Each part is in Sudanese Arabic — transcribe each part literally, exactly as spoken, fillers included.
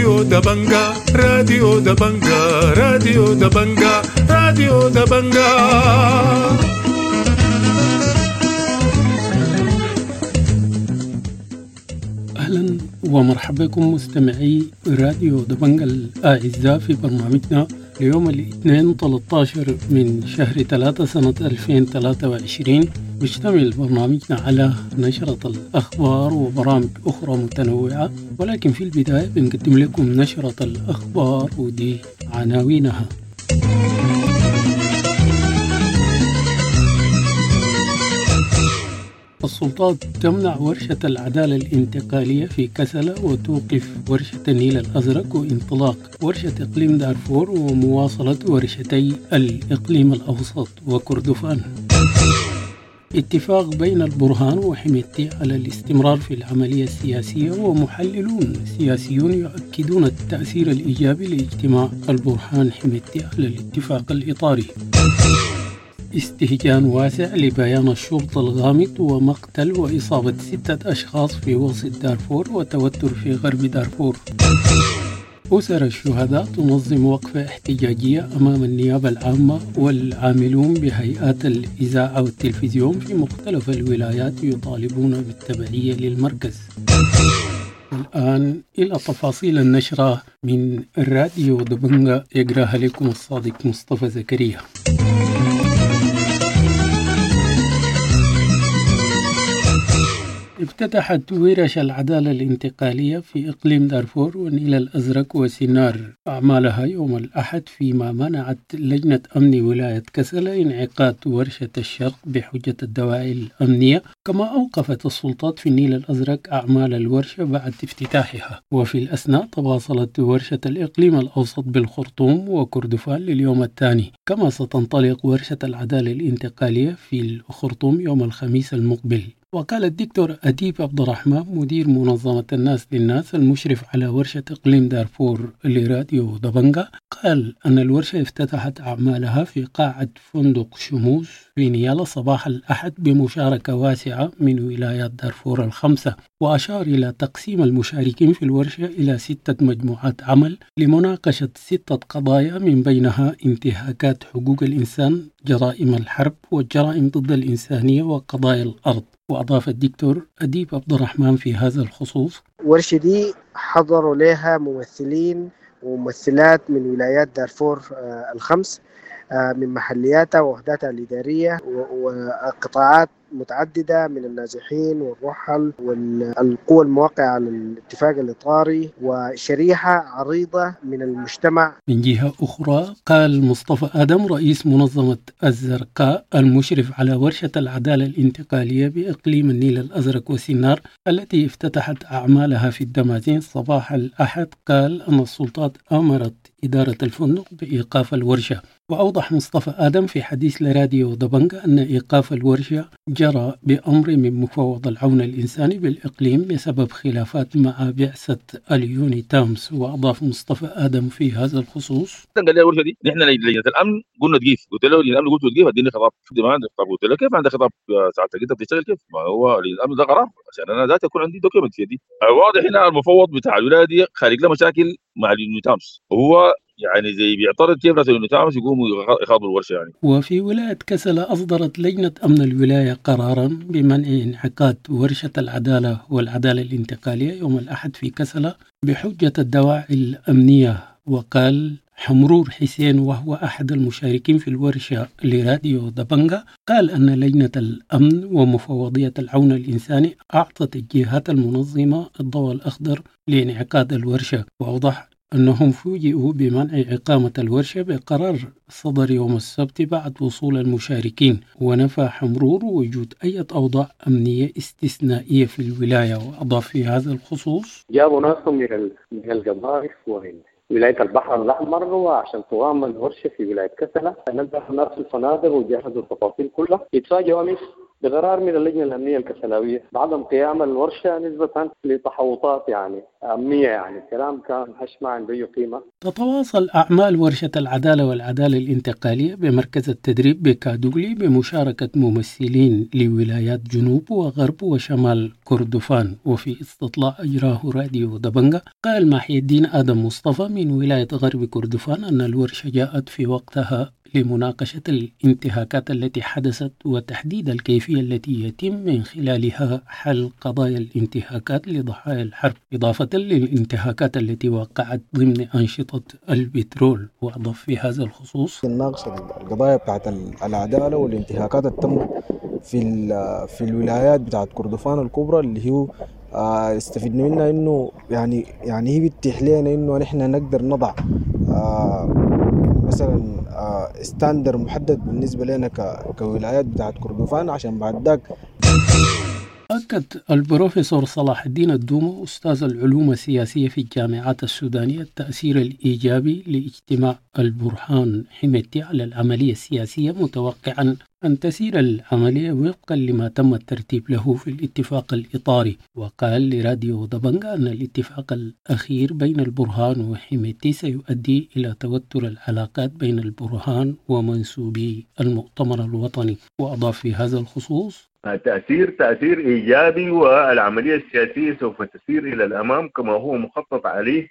راديو دبنجا راديو دبنجا راديو دبنجا راديو دبنجا. أهلا ومرحبا بكم مستمعي راديو دبنجا الأعزاء في برنامجنا ليوم الاثنين ثلاثة عشر من شهر ثلاثة سنة ألفين وثلاثة وعشرين. بيشتمل برنامجنا على نشرة الأخبار وبرامج أخرى متنوعة، ولكن في البداية بنقدم لكم نشرة الأخبار ودي عناوينها. السلطات تمنع ورشة العدالة الانتقالية في كسلة وتوقف ورشة النيل الأزرق وانطلاق ورشة إقليم دارفور ومواصلة ورشتي الإقليم الأوسط وكردفان. اتفاق بين البرهان وحميدتي على الاستمرار في العملية السياسية، ومحللون سياسيون يؤكدون التأثير الإيجابي لاجتماع البرهان حميدتي على الاتفاق الإطاري. استهجان واسع لبيان الشرطة الغامض ومقتل وإصابة ستة أشخاص في وسط دارفور وتوتر في غرب دارفور. أسر الشهداء تنظم وقفة احتجاجية أمام النيابة العامة، والعاملون بهيئات الإذاعة والتلفزيون في مختلف الولايات يطالبون بالتبعية للمركز. الآن إلى تفاصيل النشرة من الراديو دبنجا، يقراها لكم الصادق مصطفى زكريا. افتتحت ورش العدالة الانتقالية في إقليم دارفور والنيل الأزرق وسنار أعمالها يوم الأحد، فيما منعت لجنة أمن ولاية كسلة انعقاد ورشة الشرق بحجة الدواعي الأمنية، كما أوقفت السلطات في النيل الأزرق أعمال الورشة بعد افتتاحها. وفي الأثناء تواصلت ورشة الإقليم الأوسط بالخرطوم وكردفان لليوم الثاني، كما ستنطلق ورشة العدالة الانتقالية في الخرطوم يوم الخميس المقبل. وقال الدكتور أديب عبد الرحمن مدير منظمة الناس للناس المشرف على ورشة إقليم دارفور لراديو دبنجا، قال أن الورشة افتتحت أعمالها في قاعة فندق شموس في نيالا صباح الأحد بمشاركة واسعة من ولايات دارفور الخمسة، وأشار إلى تقسيم المشاركين في الورشة إلى ستة مجموعات عمل لمناقشة ستة قضايا، من بينها انتهاكات حقوق الإنسان، جرائم الحرب والجرائم ضد الإنسانية وقضايا الأرض. وأضاف الدكتور أديب عبد الرحمن في هذا الخصوص: الورشة دي حضروا لها ممثلين وممثلات من ولايات دارفور الخمس، من محلياتها ووحداتها الإدارية وقطاعات متعددة من النازحين والرحل والقوى الموقعة على الاتفاق الإطاري وشريحة عريضة من المجتمع. من جهة أخرى قال مصطفى آدم رئيس منظمة الزرقاء المشرف على ورشة العدالة الانتقالية بإقليم النيل الأزرق وسنار التي افتتحت أعمالها في الدمازين صباح الأحد، قال أن السلطات أمرت إدارة الفندق بإيقاف الورشة. وأوضح مصطفى آدم في حديث لراديو دبنجا أن إيقاف الورشة جرى بأمر من مفوض العون الإنساني بالإقليم بسبب خلافات مع بعثة اليونيتامس. وأضاف مصطفى آدم في هذا الخصوص: قال لي الورشة دي نحن لجنة الأمن قلنا تقيف، قلت له لجنة الأمن قلت له تقيف اديني خطاب، ما عندي خطاب. قلت له كيف عندك خطاب ساعتك انت بتشتغل كيف؟ ما هو لجنة الأمن ده قرار عشان أنا ذاتي يكون عندي document في يدي. واضح هنا المفوض بتاع الولاية دي خارج له مشاكل مع اليونيتامس، وهو يعني زي بيعترض كيف ناس اليونيتامس يقوموا يخاضوا الورشة يعني. وفي ولاية كسلة أصدرت لجنة أمن الولاية قرارا بمنع انعقاد ورشة العدالة والعدالة الانتقالية يوم الأحد في كسلة بحجة الدواعي الأمنية. وقال حمرور حسين وهو أحد المشاركين في الورشة لراديو دبنجا، قال أن لجنة الأمن ومفوضية العون الإنساني أعطت الجهات المنظمة الضوء الأخضر لانعقاد الورشة، وأوضح أنهم فوجئوا بمنع إقامة الورشة بقرار صدر يوم السبت بعد وصول المشاركين. ونفى حمرور وجود أي أوضاع أمنية استثنائية في الولاية. وأضاف في هذا الخصوص: جابوا ناسهم من من القضارف ومن ولاية البحر الأحمر وعشان تقام الورشة في ولاية كسلة، نزلوا الناس في الفنادق وجهزوا التفاصيل كلها. يتفاجئوا أمس بقرار من اللجنة الأمنية الكسلاوية بعدم قيام الورشة نسبة لتحوطات يعني أمنية، يعني الكلام كان هش ما عنده أي قيمة. تتواصل أعمال ورشة العدالة والعدالة الانتقالية بمركز التدريب بكادوغلي بمشاركة ممثلين لولايات جنوب وغرب وشمال كردفان. وفي استطلاع أجراه راديو دبنجة قال محي الدين آدم مصطفى من ولاية غرب كردفان أن الورشة جاءت في وقتها لمناقشة الانتهاكات التي حدثت وتحديد الكيفية التي يتم من خلالها حل قضايا الانتهاكات لضحايا الحرب، إضافة للانتهاكات التي وقعت ضمن أنشطة البترول. وأضاف في هذا الخصوص: نناقش القضايا بتاعت العدالة والانتهاكات التي تم في في الولايات بتاعت كردفان الكبرى اللي هو استفدنا منها، انه يعني يعني هي بتتيح لنا انه نحن نقدر نضع مثلا ستاندر محدد بالنسبة لنا كولايات بتاعت كردفان عشان بعد ذاك. أكد البروفيسور صلاح الدين الدومة أستاذ العلوم السياسية في الجامعات السودانية التأثير الإيجابي لاجتماع البرهان حميدتي على العملية السياسية، متوقعا أن تسير العملية وفقا لما تم الترتيب له في الاتفاق الإطاري. وقال لراديو دبنجا أن الاتفاق الأخير بين البرهان وحميدتي سيؤدي إلى توتر العلاقات بين البرهان ومنسوبي المؤتمر الوطني. وأضاف في هذا الخصوص: تأثير تأثير إيجابي، والعملية السياسية سوف تسير إلى الأمام كما هو مخطط عليه،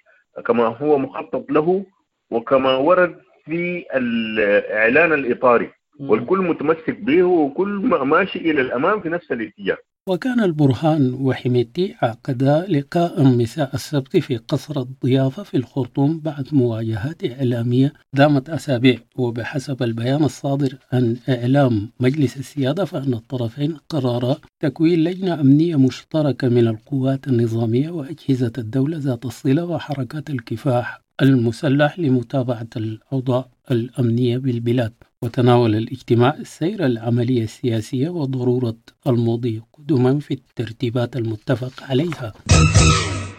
كما هو مخطط له، وكما ورد في الإعلان الإطاري، والكل متمسك به وكل ماشي إلى الأمام في نفس الاتجاه. وكان البرهان وحميدتي عقدا لقاء مساء السبت في قصر الضيافة في الخرطوم بعد مواجهات إعلامية دامت أسابيع. وبحسب البيان الصادر عن إعلام مجلس السيادة فإن الطرفين قررا تكوين لجنة أمنية مشتركة من القوات النظامية وأجهزة الدولة ذات الصلة وحركات الكفاح المسلح لمتابعة الأوضاع الأمنية بالبلاد. وتناول الاجتماع سير العملية السياسية وضرورة المضي قدما في الترتيبات المتفق عليها.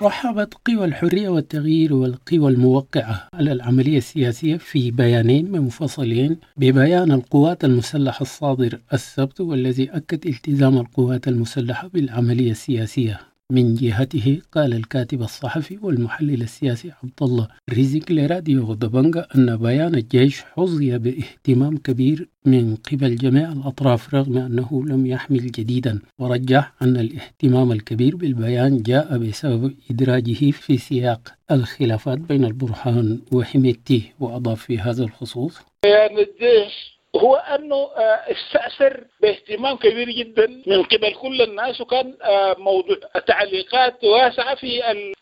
رحبت قوى الحرية والتغيير والقوى الموقعة على العملية السياسية في بيانين منفصلين ببيان القوات المسلحة الصادر السبت، والذي أكد التزام القوات المسلحة بالعملية السياسية. من جهته قال الكاتب الصحفي والمحلل السياسي عبد الله رزق لراديو دبنجا أن بيان الجيش حظي باهتمام كبير من قبل جميع الأطراف رغم أنه لم يحمل جديدا، ورجح أن الاهتمام الكبير بالبيان جاء بسبب إدراجه في سياق الخلافات بين البرهان وحميدتي. وأضاف في هذا الخصوص: بيان الجيش هو أنه استأثر باهتمام كبير جدا من قبل كل الناس، وكان موضوع تعليقات واسعة في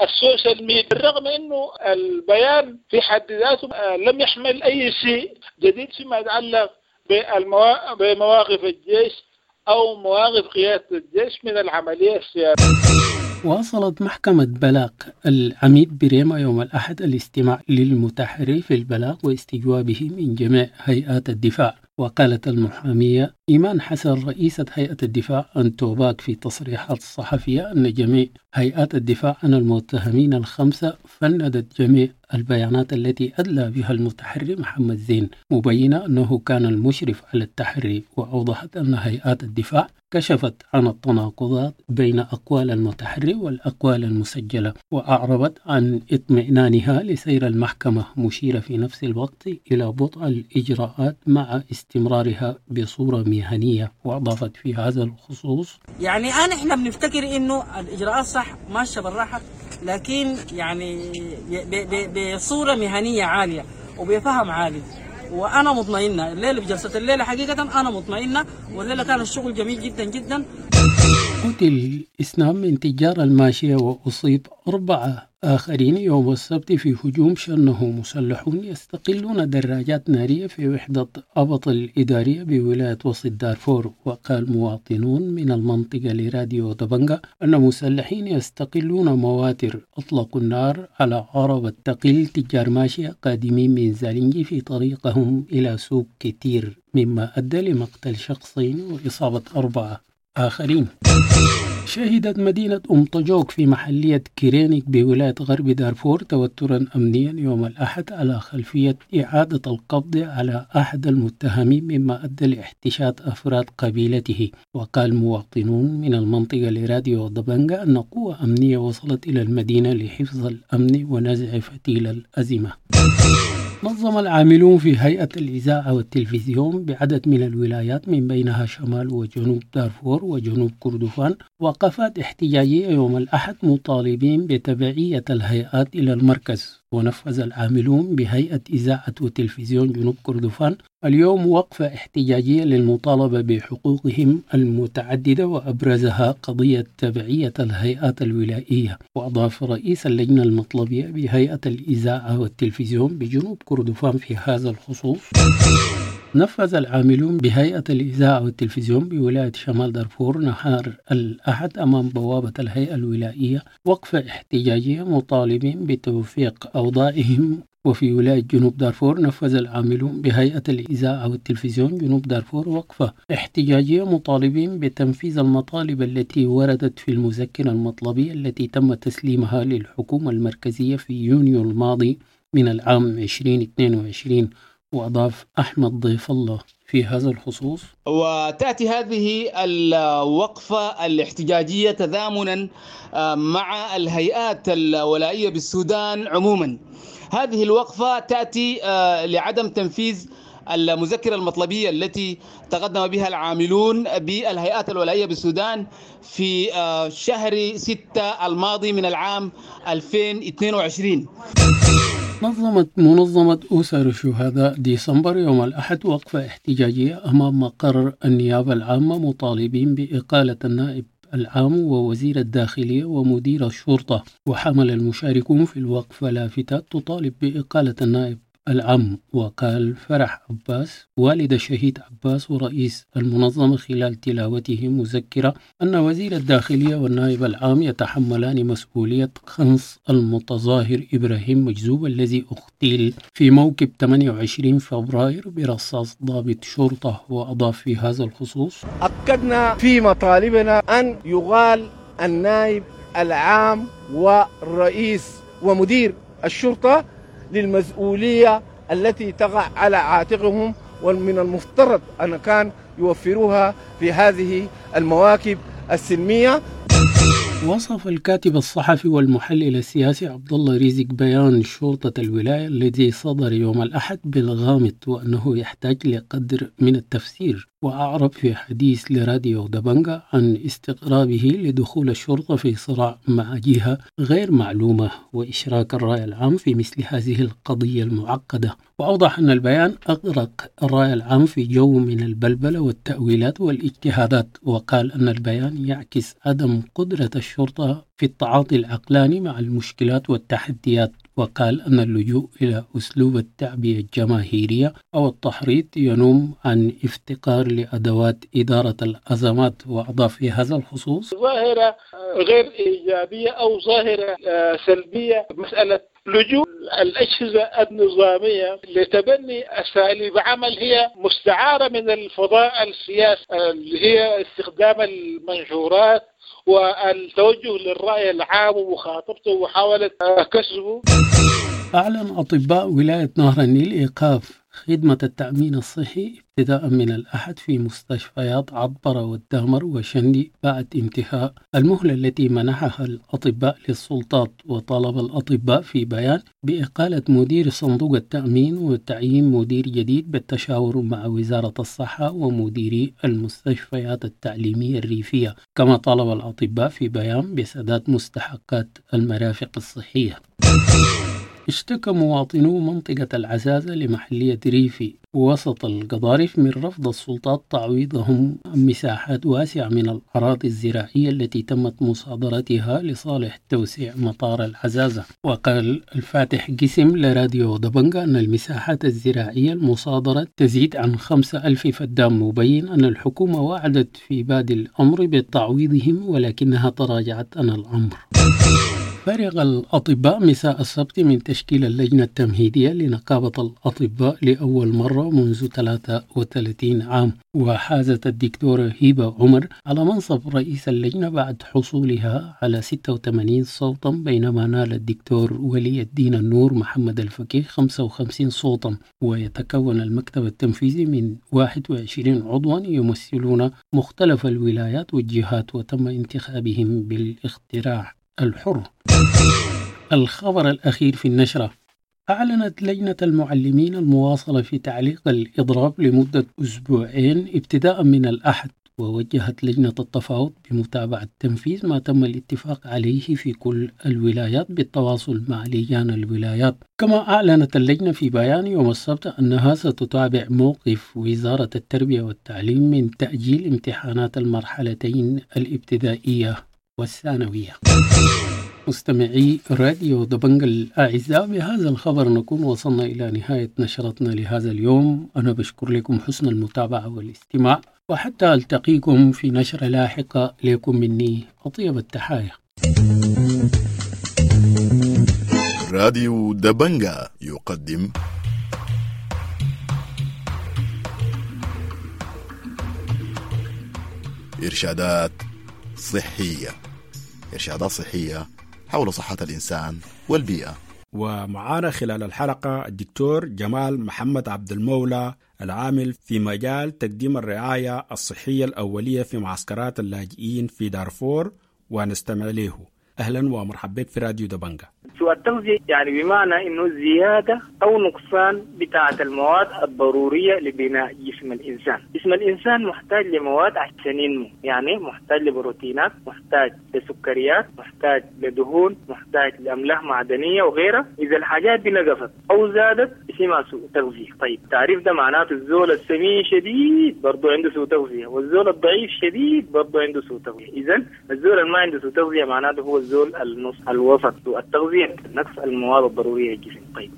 السوشيال ميديا، بالرغم أنه البيان في حد ذاته لم يحمل أي شيء جديد فيما يتعلق بمواقف الجيش أو مواقف قيادة الجيش من العملية السياسية. واصلت محكمة بلاغ العميد بريما يوم الأحد الاستماع للمتحري في البلاغ واستجوابه من جميع هيئات الدفاع. وقالت المحامية إيمان حسن رئيسة هيئة الدفاع عن توباك في تصريحات صحفية أن جميع هيئات الدفاع عن المتهمين الخمسة فندت جميع البيانات التي أدلى بها المتحري محمد زين، مبينة أنه كان المشرف على التحري. وأوضحت أن هيئات الدفاع كشفت عن التناقضات بين أقوال المتحري والأقوال المسجلة، وأعربت عن اطمئنانها لسير المحكمة، مشيرة في نفس الوقت إلى بطء الإجراءات مع استمرارها بصورة مهنية. وأضافت في هذا الخصوص: يعني أنا إحنا بنفتكر إنه الإجراءات صح ماشية بالراحة، لكن يعني بصورة مهنية عالية وبفهم عالي، وأنا مطمئنة. الليلة بجلسة الليلة حقيقة أنا مطمئنة، والليلة كان الشغل جميل جدا جدا. قتل اثنان من تجار الماشية وأصيب أربعة آخرين يوم السبت في هجوم شنه مسلحون يستقلون دراجات نارية في وحدة أبط الإدارية بولاية وسط دارفور. وقال مواطنون من المنطقة لراديو دبنجا أن مسلحين يستقلون مواتر أطلقوا النار على عربة تقل تجار ماشية قادمين من زالينجي في طريقهم إلى سوق كتير، مما أدى لمقتل شخصين وإصابة أربعة آخرين. شهدت مدينة أم طجوك في محلية كرينيك بولاية غرب دارفور توترا أمنيا يوم الأحد على خلفية إعادة القبض على أحد المتهمين، مما أدى لاحتشاد أفراد قبيلته. وقال مواطنون من المنطقة لراديو دبنجا أن قوة أمنية وصلت إلى المدينة لحفظ الأمن ونزع فتيل الأزمة. نظم العاملون في هيئة الإذاعة والتلفزيون بعدد من الولايات من بينها شمال وجنوب دارفور وجنوب كردفان وقفات احتجاجية يوم الأحد مطالبين بتبعية الهيئات إلى المركز. ونفذ العاملون بهيئة إذاعة وتلفزيون جنوب كردفان اليوم وقفة احتجاجية للمطالبة بحقوقهم المتعددة، وأبرزها قضية تبعية الهيئات الولائية. وأضاف رئيس اللجنة المطلبية بهيئة الإذاعة والتلفزيون بجنوب كردفان في هذا الخصوص: نفذ العاملون بهيئة الإذاعة والتلفزيون بولاية شمال دارفور نهار الأحد أمام بوابة الهيئة الولائية وقفة احتجاجية مطالبين بتوفيق أوضاعهم. وفي ولاية جنوب دارفور نفذ العاملون بهيئة الإذاعة والتلفزيون جنوب دارفور وقفة احتجاجية مطالبين بتنفيذ المطالب التي وردت في المذكرة المطلبية التي تم تسليمها للحكومة المركزية في يونيو الماضي من العام ألفين واثنين وعشرين. وأضاف أحمد ضيف الله في هذا الخصوص: وتأتي هذه الوقفة الاحتجاجية تزامنا مع الهيئات الولائية بالسودان عموما. هذه الوقفة تأتي لعدم تنفيذ المذكرة المطلبية التي تقدم بها العاملون بالهيئات الولائية بالسودان في شهر ستة الماضي من العام ألفين واثنين وعشرين. نظمت منظمة أسر شهداء ديسمبر يوم الأحد وقفة احتجاجية أمام مقر النيابة العامة مطالبين بإقالة النائب العام ووزير الداخلية ومدير الشرطة. وحمل المشاركون في الوقفة لافتات تطالب بإقالة النائب العام. وقال فرح عباس والد الشهيد عباس ورئيس المنظمة خلال تلاوته مذكرة أن وزير الداخلية والنائب العام يتحملان مسؤولية خنص المتظاهر إبراهيم مجذوب الذي اغتيل في موكب ثمانية وعشرين فبراير برصاص ضابط شرطة. وأضاف في هذا الخصوص: أكدنا في مطالبنا أن يغال النائب العام والرئيس ومدير الشرطة للمسؤولية التي تقع على عاتقهم، ومن المفترض أن كان يوفروها في هذه المواكب السلمية. وصف الكاتب الصحفي والمحلل السياسي عبد الله رزق بيان شرطة الولاية الذي صدر يوم الأحد بالغامض وأنه يحتاج لقدر من التفسير. وأعرب في حديث لراديو دبنجا عن استغرابه لدخول الشرطة في صراع مع جهة غير معلومة وإشراك الرأي العام في مثل هذه القضية المعقدة. وأوضح أن البيان أغرق الرأي العام في جو من البلبلة والتأويلات والاجتهادات. وقال أن البيان يعكس عدم قدرة الشرطة في التعاطي العقلاني مع المشكلات والتحديات. وقال أن اللجوء إلى أسلوب التعبئة الجماهيرية أو التحريض ينم عن افتقار لأدوات إدارة الأزمات. وأضاف في هذا الخصوص: ظاهرة غير إيجابية أو ظاهرة سلبية مسألة لجوء الأجهزة النظامية لتبني أساليب عمل هي مستعارة من الفضاء السياسي، اللي هي استخدام المنشورات والتوجه للرأي العام ومخاطبته ومحاولة كسبه. أعلن أطباء ولاية نهر النيل إيقاف خدمة التأمين الصحي ابتداء من الأحد في مستشفيات عبرة والدهمر وشندي بعد انتهاء المهلة التي منحها الأطباء للسلطات. وطالب الأطباء في بيان بإقالة مدير صندوق التأمين وتعيين مدير جديد بالتشاور مع وزارة الصحة ومديري المستشفيات التعليمية الريفية. كما طالب الأطباء في بيان بسداد مستحقات المرافق الصحية. اشتكى مواطنو منطقة العزازة لمحلية ريفي وسط القضارف من رفض السلطات تعويضهم مساحات واسعة من الأراضي الزراعية التي تمت مصادرتها لصالح توسيع مطار العزازة. وقال الفاتح قسم لراديو دبنجا أن المساحات الزراعية المصادرة تزيد عن خمسة ألف فدان، مبين أن الحكومة وعدت في بادئ الأمر بتعويضهم ولكنها تراجعت عن الأمر. فرغ الأطباء مساء السبت من تشكيل اللجنة التمهيدية لنقابة الأطباء لأول مرة منذ ثلاثة وثلاثين عام، وحازت الدكتورة هبة عمر على منصب رئيس اللجنة بعد حصولها على ستة وثمانين صوتا، بينما نال الدكتور ولي الدين النور محمد الفقيه خمسة وخمسين صوتا. ويتكون المكتب التنفيذي من واحد وعشرين عضوا يمثلون مختلف الولايات والجهات، وتم انتخابهم بالاقتراع الحر. الخبر الأخير في النشرة: أعلنت لجنة المعلمين المواصلة في تعليق الإضراب لمدة أسبوعين ابتداء من الأحد، ووجهت لجنة التفاوض بمتابعة تنفيذ ما تم الاتفاق عليه في كل الولايات بالتواصل مع لجان الولايات. كما أعلنت اللجنة في بيان يوم السبت أنها ستتابع موقف وزارة التربية والتعليم من تأجيل امتحانات المرحلتين الابتدائية والثانوية. مستمعي راديو دبنج الأعزاء، بهذا الخبر نكون وصلنا إلى نهاية نشرتنا لهذا اليوم. أنا بشكر لكم حسن المتابعة والاستماع، وحتى ألتقيكم في نشرة لاحقة، لكم مني أطيب التحايا. راديو دبنجا يقدم إرشادات صحية، إرشادات صحية حول صحة الإنسان والبيئة. ومعانا خلال الحلقة الدكتور جمال محمد عبد المولى، العامل في مجال تقديم الرعاية الصحية الأولية في معسكرات اللاجئين في دارفور، ونستمع له. أهلا ومرحبا بك في راديو دبنجا. سوء التغذية يعني بمعنى إنه زيادة أو نقصان بتاعة المواد الضرورية لبناء جسم الإنسان. جسم الإنسان محتاج لمواد عشان ينمو، يعني محتاج لبروتينات، محتاج لسكريات، محتاج لدهون، محتاج لأملاح معدنية وغيرها. إذا الحاجات دي نقصت أو زادت اسمها سوء تغذية. طيب تعريف ده معناته الزول السمين شديد برضو عنده سوء تغذية، والزول الضعيف شديد برضو عنده سوء تغذية. إذا الزول اللي ما عنده سوء تغذية معناته هو الزول النص الوسط. سوء التغذية نقص المواد الضرورية للجسم. طيب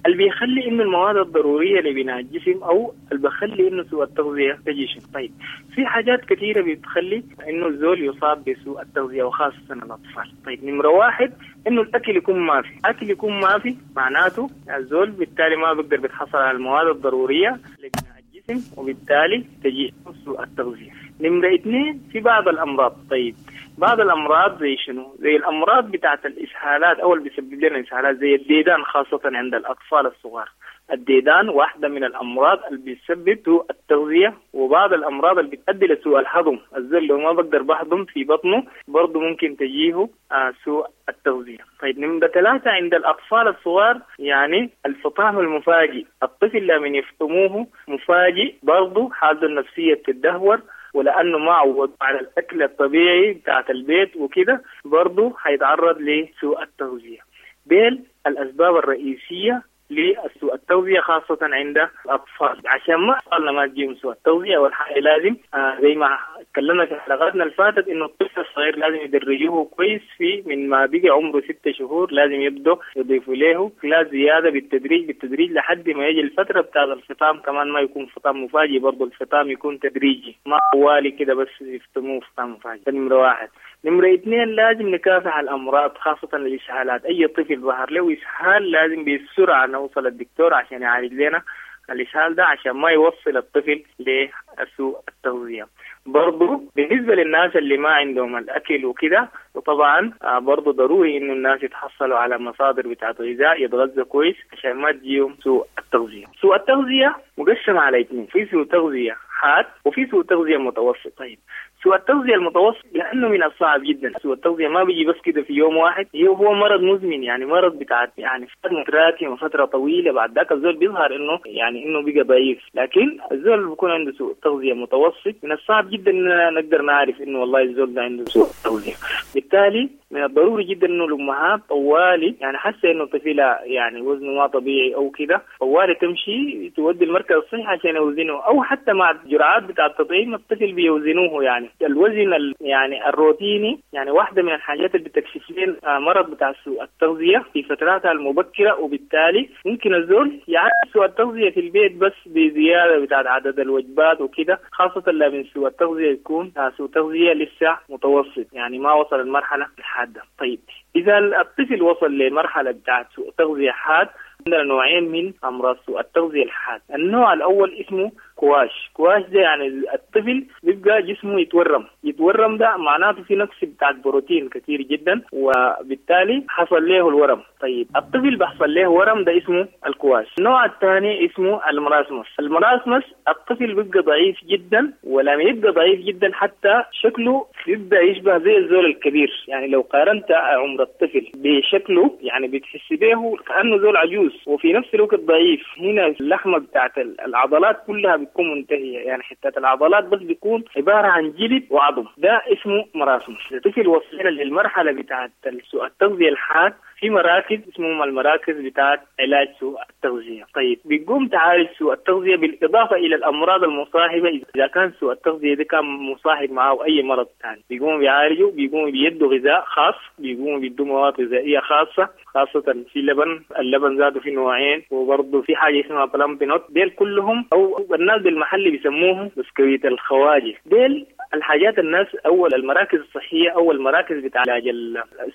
اللي بيخلي إنه المواد الضرورية لبناء الجسم أو اللي بيخلي إنه سوء التغذية تجي، طيب في حاجات كثيرة بتخلي إنه الزول يصاب بسوء التغذية وخاصة الأطفال. طيب نمرة واحد إنه الأكل يكون ما في، أكل يكون ما في معناته الزول بالتالي ما بيقدر بيتحصل على المواد الضرورية لبناء الجسم، وبالتالي تجي سوء التغذية. نمرة اثنين في بعض الأمراض. طيب بعض الأمراض زي شنو؟ زي الأمراض بتاعت الإسهالات أو اللي بيسبب لنا إسهالات زي الديدان، خاصة عند الأطفال الصغار. الديدان واحدة من الأمراض اللي بتسبب سوء التغذية، وبعض الأمراض اللي بتؤدي لسوء الهضم. الزول لو ما بقدر بهضم في بطنه برضه ممكن تجيه آه سوء التغذية. طيب نمرة ثلاثة عند الأطفال الصغار يعني الفطام المفاجئ، الطفل لما يفطموه مفاجئ برضه حالته النفسية بتدهور، ولأنه ما عود على الأكل الطبيعي بتاعت البيت وكده برضه هيتعرض لسوء التغذية. ديل الأسباب الرئيسية لسوء التغذية خاصة عند الأطفال. عشان ما أطفالنا ما تجيهم سوء التغذية، والحاجة لازم آه زي ما تكلمنا في حلقاتنا اللي فاتت إنه الطفل الصغير لازم يدرجوه كويس في من ما بقي عمره ستة شهور، لازم يبدأ يضيفوا له لا زيادة بالتدريج بالتدريج لحد ما يجي الفترة بتاع الفطام. كمان ما يكون فطام مفاجئ، برضه الفطام يكون تدريجي، ما طوالي كده بس يفطموه فطام مفاجئ. ده نمرة واحد. نمرة اثنين لازم نكافح الأمراض خاصة الإسهالات. أي طفل ظهر له إسهال لازم بسرعة نوصل الدكتور عشان يعالج لنا الإسهال ده، عشان ما يوصل الطفل لسوء التغذية. برضو بالنسبة للناس اللي ما عندهم الأكل وكده، وطبعا برضو ضروري إنه الناس يتحصلوا على مصادر بتاعت غذاء، يتغذوا كويس عشان ما تجيهم سوء التغذية. سوء التغذية مقسم على اثنين، في سوء تغذية حاد وفي سوء تغذية متوسط. طيب سوء التغذية المتوسط لأنه من الصعب جدا، سوء التغذية ما بيجي بس كده في يوم واحد، هو مرض مزمن، يعني مرض بتاع يعني فترة متراكمة فترة طويلة، بعد ذاك الزول بيظهر إنه يعني إنه بقى ضعيف. لكن الزول اللي بيكون عنده سوء تغذية متوسط من الصعب جدا إننا نقدر نعرف إنه والله الزول ده عنده سوء تغذية. بالتالي من الضروري جدا إنه الأمهات طوالي يعني حاسة إنه طفلها يعني وزنه ما طبيعي أو كده، طوالي تمشي تودي المركز الصحي عشان يوزنه، أو حتى مع الجرعات بتاع التطعيم الطفل بيوزنوه يعني. يعني الوزن يعني الروتيني يعني واحدة من الحاجات اللي بتكشف لنا مرض بتاع سوء التغذية في فتراتها المبكرة، وبالتالي ممكن الزول يعالج سوء التغذية في البيت بس بزيادة بتاعت عدد الوجبات وكده، خاصة لما سوء التغذية يكون سوء تغذية لسه متوسط يعني ما وصل المرحلة الحادة. طيب إذا الطفل وصل لمرحلة بتاعت سوء تغذية حاد، عندنا نوعين من أمراض سوء التغذية الحاد. النوع الأول اسمه كواش. كواش ده يعني الطفل بيبقى جسمه يتورم، يتورم ده معناته في نقص بتاع بروتين كثير جدا، وبالتالي حصل له الورم. طيب الطفل بيحصل له ورم ده اسمه الكواش. النوع الثاني اسمه ال marasmus. ال marasmus الطفل بيبقى ضعيف جدا، ولما يبقى ضعيف جدا حتى شكله بيبدأ يشبه زي الزول الكبير. يعني لو قارنت عمر الطفل بشكله يعني بتحس به كأنه زول عجوز، وفي نفس الوقت ضعيف. هنا اللحمة بتاعت العضلات كلها بتكون منتهية، يعني حتة العضلات بس بيكون عبارة عن جلد وعظم، ده اسمه marasmus. الطفل وصل للمرحلة بتاعت سوء التغذية الحاد في مراكز اسمهم المراكز بتاعت علاج سوء التغذية. طيب بيقوم تعالج سوء التغذية بالإضافة إلى الأمراض المصاحبة. إذا كان سوء التغذية ده كان مصاحب معه أي مرض ثاني بيقوم بيعالجه، بيقوم بيدوا غذاء خاص، بيقوم بيدوا مواد غذائية خاصة، خاصة في لبن، اللبن ذاته في نوعين، وبرضه في حاجة اسمها Plumpy'Nut. ديل كلهم أو الناس بالمحل بيسموهم بسكويت الخواجة. ديل الحاجات الناس أول المراكز الصحية أو المراكز بتاع علاج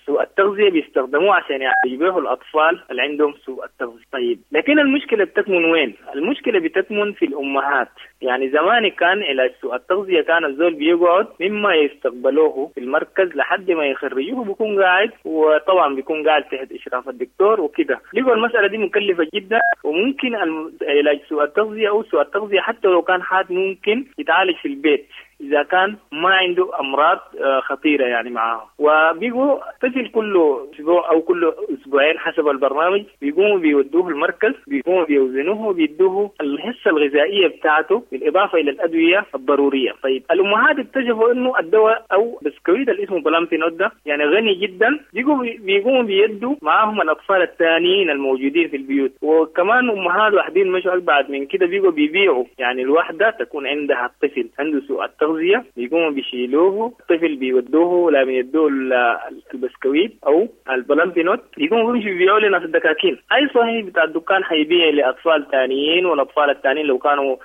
سوء التغذية بيستخدموه عشان يعالجوا الأطفال اللي عندهم سوء التغذية. طيب لكن المشكلة بتكمن وين؟ المشكلة بتكمن في الأمهات. يعني زمان كان علاج سوء التغذية كان الزول بيقعد مما يستقبلوه في المركز لحد ما يخرجوه بيكون قاعد، وطبعا بيكون قاعد تحت إشراف الدكتور وكده. لقوا المسألة دي مكلفة جدا، وممكن علاج سوء التغذية أو سوء التغذية حتى لو كان حاد ممكن يتعالج في البيت إذا كان ما عنده أمراض خطيرة يعني معاه. وبيجوا طفل كل أسبوع أو كل أسبوعين حسب البرنامج بيقوموا بيودوه المركز، بيقوموا بيوزنوه وبيدوه الحصة الغذائية بتاعته بالإضافة إلى الأدوية الضرورية. طيب الأمهات اكتشفوا إنه الدواء أو بسكويت اللي اسمه Plumpy'Nut ده يعني غني جدا، بيقوموا بيقوموا بيدوا معاهم الأطفال الثانيين الموجودين في البيوت. وكمان أمهات واحدين مشوا أبعد من كده، بيقوا بيبيعوا، يعني الواحدة تكون عندها الطفل عنده سوء التغذية بيقوموا بيشيلوه الطفل بيودوه لما يدوه البسكويت او ال Plumpy'Nut بيقوموا بيمشوا بيبيعوا لناس الدكاكين. اي صحيح بتاع الدكان حيبيع لاطفال ثانيين، والاطفال الثانيين لو كانوا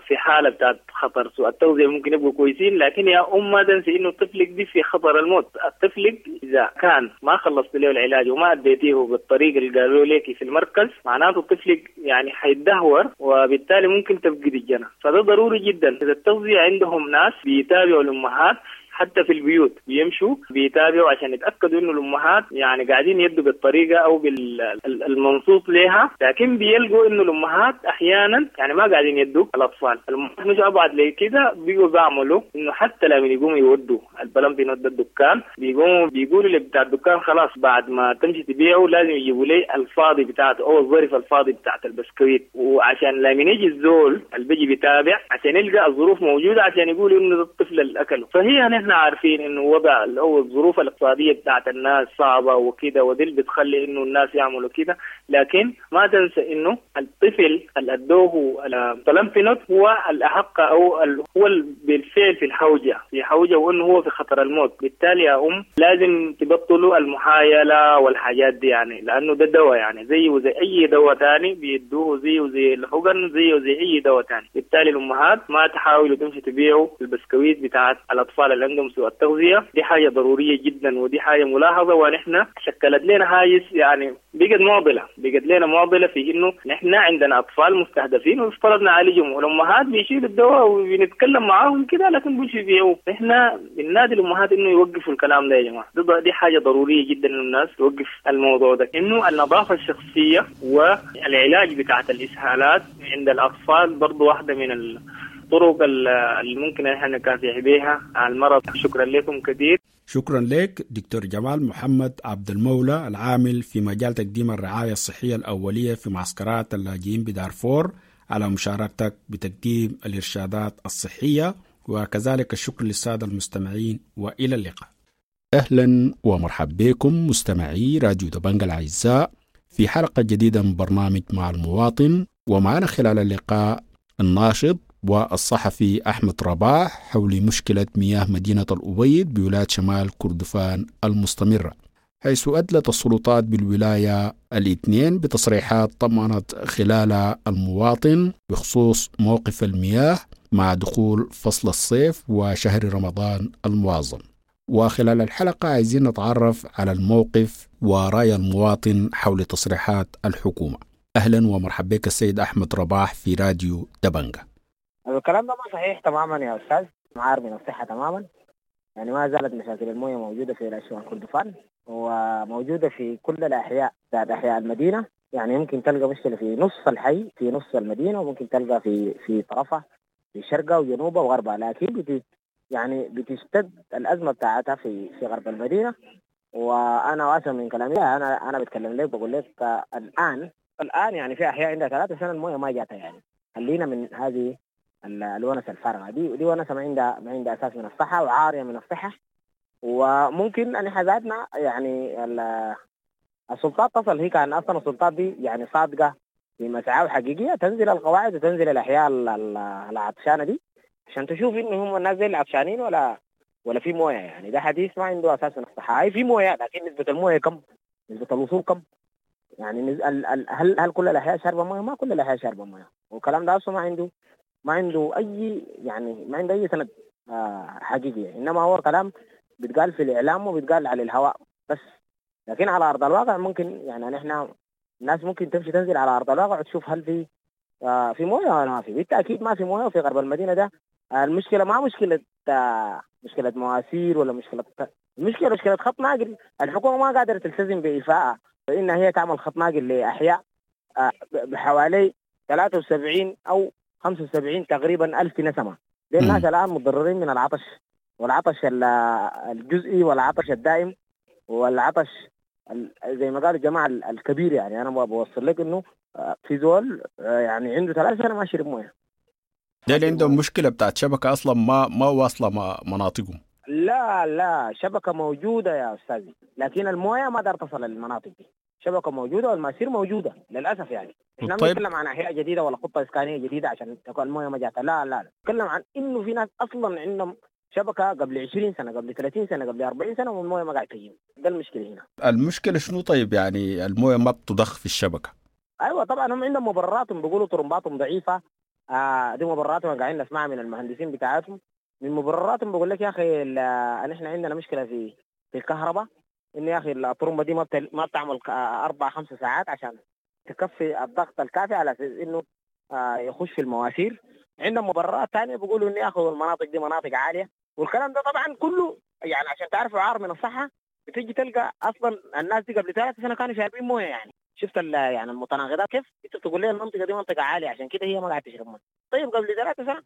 في حاله بتاعت خطر سوء التغذية ممكن يبقوا كويسين. لكن يا ام ما تنسي انه طفلك دي في خطر الموت. الطفل اذا كان ما خلصت له العلاج وما اديتيه بالطريقة اللي قالوا لك في المركز معناته طفلك يعني حيتدهور، وبالتالي ممكن تفقد الجنة. فده ضروري جدا. اذا التغذية عندهم ناس بيتابعوا الأمهات حتى في البيوت، بيمشوا بيتابعوا عشان يتأكدوا إنه الأمهات يعني قاعدين يدوا بالطريقة أو بالمنصوص لها. لكن بيلقوا إنه الأمهات أحيانا يعني ما قاعدين يدوا الأطفال. الأمهات مش أبعد لي كده، بيجوا بيعملوا إنه حتى لما يقوموا يودوا ال Plumpy'Nut الدكان بيقوموا بيقولوا اللي بتاع الدكان خلاص بعد ما تمشي تبيعه لازم يجيبوا لي الفاضي بتاعته أو الظرف الفاضي بتاعت البسكويت، وعشان لما يجي الزول اللي بيجي بيتابع عشان يلقى الظروف موجودة عشان يقولوا إنه الطفل اللي أكله. فهي نحن عارفين انه وضع او الظروف الاقتصادية بتاعت الناس صعبة وكده، ودي اللي بتخلي انه الناس يعملوا كده. لكن ما تنسى انه الطفل اللي ادوه ال Plumpy'Nut هو الاحق او هو بالفعل في الحوجه في حوجه وانه هو في خطر الموت. بالتالي يا ام لازم تبطلوا المحايله والحاجات دي، يعني لانه ده دواء يعني زيه وزي اي دواء ثاني بيدوه، زيه وزي الحقن، زيه وزي اي دواء ثاني. بالتالي الامهات ما تحاولوا تمشي تبيعوا البسكويت بتاعت الاطفال اللي عندهم سوء التغذية. دي حاجة ضرورية جدا ودي حاجة ملاحظة، ونحن شكلت لنا هاجس يعني بقت معضلة، بقت لنا معضلة في إنه نحن عندنا أطفال مستهدفين ويفترض نعالجهم، والأمهات بيشيلوا الدواء وبنتكلم معاهم كده لكن بيمشوا يبيعوه. نحن بننادي الأمهات إنه يوقفوا الكلام ده يا جماعة، دي, دي حاجة ضرورية جدا إنه الناس توقف الموضوع ده. إنه النظافة الشخصية والعلاج بتاعت الإسهالات عند الأطفال برضو واحدة من ال الطرق اللي ممكن احنا نكافح بها على المرض. شكرا لكم كثير. شكرا لك دكتور جمال محمد عبد المولى العامل في مجال تقديم الرعاية الصحية الأولية في معسكرات اللاجئين بدارفور على مشاركتك بتقديم الإرشادات الصحية، وكذلك الشكر للسادة المستمعين، وإلى اللقاء. أهلا ومرحبا بكم مستمعي راديو دبنجا الأعزاء في حلقة جديدة من برنامج مع المواطن، ومعنا خلال اللقاء الناشط والصحفي أحمد رباح حول مشكلة مياه مدينة الأبيض بولاية شمال كردفان المستمرة، حيث أدلت السلطات بالولاية الاثنين بتصريحات طمأنت خلال المواطن بخصوص موقف المياه مع دخول فصل الصيف وشهر رمضان المعظم. وخلال الحلقة عايزين نتعرف على الموقف ورأي المواطن حول تصريحات الحكومة. أهلا ومرحبا بك السيد أحمد رباح في راديو دبنجة. الكلام ده ما صحيح تماما يا أستاذ، معار من الصحة تماما. يعني ما زالت مشاكل الموية موجودة في شمال كردفان وموجودة في كل الأحياء ذات أحياء المدينة. يعني ممكن تلقى مشكلة في نص الحي في نص المدينة، وممكن تلقى في في طرفها في شرقها وجنوبها وغربها، لكن بت يعني بتشتد الأزمة بتاعتها في في غرب المدينة. وأنا واسع من كلامي، أنا أنا بتكلم لك بقول لك الآن الآن يعني في أحياء عندها ثلاثة سنة الموية ما جاتها. يعني خلينا من هذه الونسة الفارغة دي، دي ونسة ما عندها ما عندها أساس من الصحة وعارية من الصحة. وممكن أن ذاتنا يعني السلطات تصل، هي كان أصلا السلطات دي يعني صادقة في مسعى حقيقية، تنزل القواعد وتنزل الأحياء العطشانة دي عشان تشوف إنه هم الناس زي العطشانين ولا ولا في موية. يعني ده حديث ما عنده أساس من الصحة. هاي في موية، لكن نسبة الموية كم؟ نسبة الوصول كم؟ يعني هل هل كل الأحياء شاربة موية؟ ما كل الأحياء شاربة موية. والكلام ده أصلا ما عنده ما عنده أي يعني ما عنده أي سند آه حقيقي، إنما هو كلام بيتقال في الإعلام وبيتقال على الهواء بس، لكن على أرض الواقع ممكن يعني نحن الناس ممكن تمشي تنزل على أرض الواقع وتشوف هل في آه في موية ولا ما في. بالتأكيد ما في موية. وفي غرب المدينة ده آه المشكلة ما مشكلة آه مشكلة مواسير ولا مشكلة، المشكلة مشكلة خط ناقل. الحكومة ما قادرة تلتزم بإيفائها، فإن هي تعمل خط ناقل لأحياء آه بحوالي ثلاثة وسبعين أو خمسة وسبعين تقريبا ألف نسمة. لأن الناس الآن متضررين من العطش، والعطش الجزئي والعطش الدائم والعطش زي ما قالوا الجماعة الكبير. يعني أنا بوصل لك إنه في زول يعني عنده ثلاث سنة ما شرب موية. ده اللي عندهم مشكلة بتاعت شبكة أصلا ما ما واصلة مناطقهم. لا لا، شبكة موجودة يا أستاذي، لكن الموية ما دار تصل للمناطق دي. شبكة موجودة والماسير موجودة للأسف. يعني احنا ما بنتكلم عن أحياء جديدة ولا خطة إسكانية جديدة عشان تكون الموية ما جاتها، لا لا، نتكلم عن إنه في ناس أصلا عندهم شبكة قبل عشرين سنة، قبل ثلاثين سنة، قبل أربعين سنة، والموية ما قاعد تجي. ده المشكلة هنا. المشكلة شنو طيب؟ يعني الموية ما بتضخ في الشبكة. أيوة طبعا هم عندهم مبرراتهم، بيقولوا طرمباتهم ضعيفة. آه دي مبرراتهم قاعدين نسمعها من المهندسين بتاعتهم. من مبرراتهم بقول لك يا أخي نحن عندنا مشكلة في في الكهرباء، إن يا أخي الطرمبة دي ما ما بتعمل أربع خمس ساعات عشان تكفي الضغط الكافي على أساس إنه آه يخش في المواسير. عندهم مبررات ثانية بيقولوا إن يا أخي المناطق دي مناطق عالية، والكلام ده طبعا كله يعني عشان تعرفوا عار من الصحة. بتيجي تلقى أصلا الناس دي قبل ثلاث سنة كانوا شاربين موية. يعني شفت يعني المتناقضات كيف؟ أنت بتقول لي المنطقة دي منطقة عالية عشان كده هي ما قاعدة تشرب موية. طيب قبل ثلاث سنة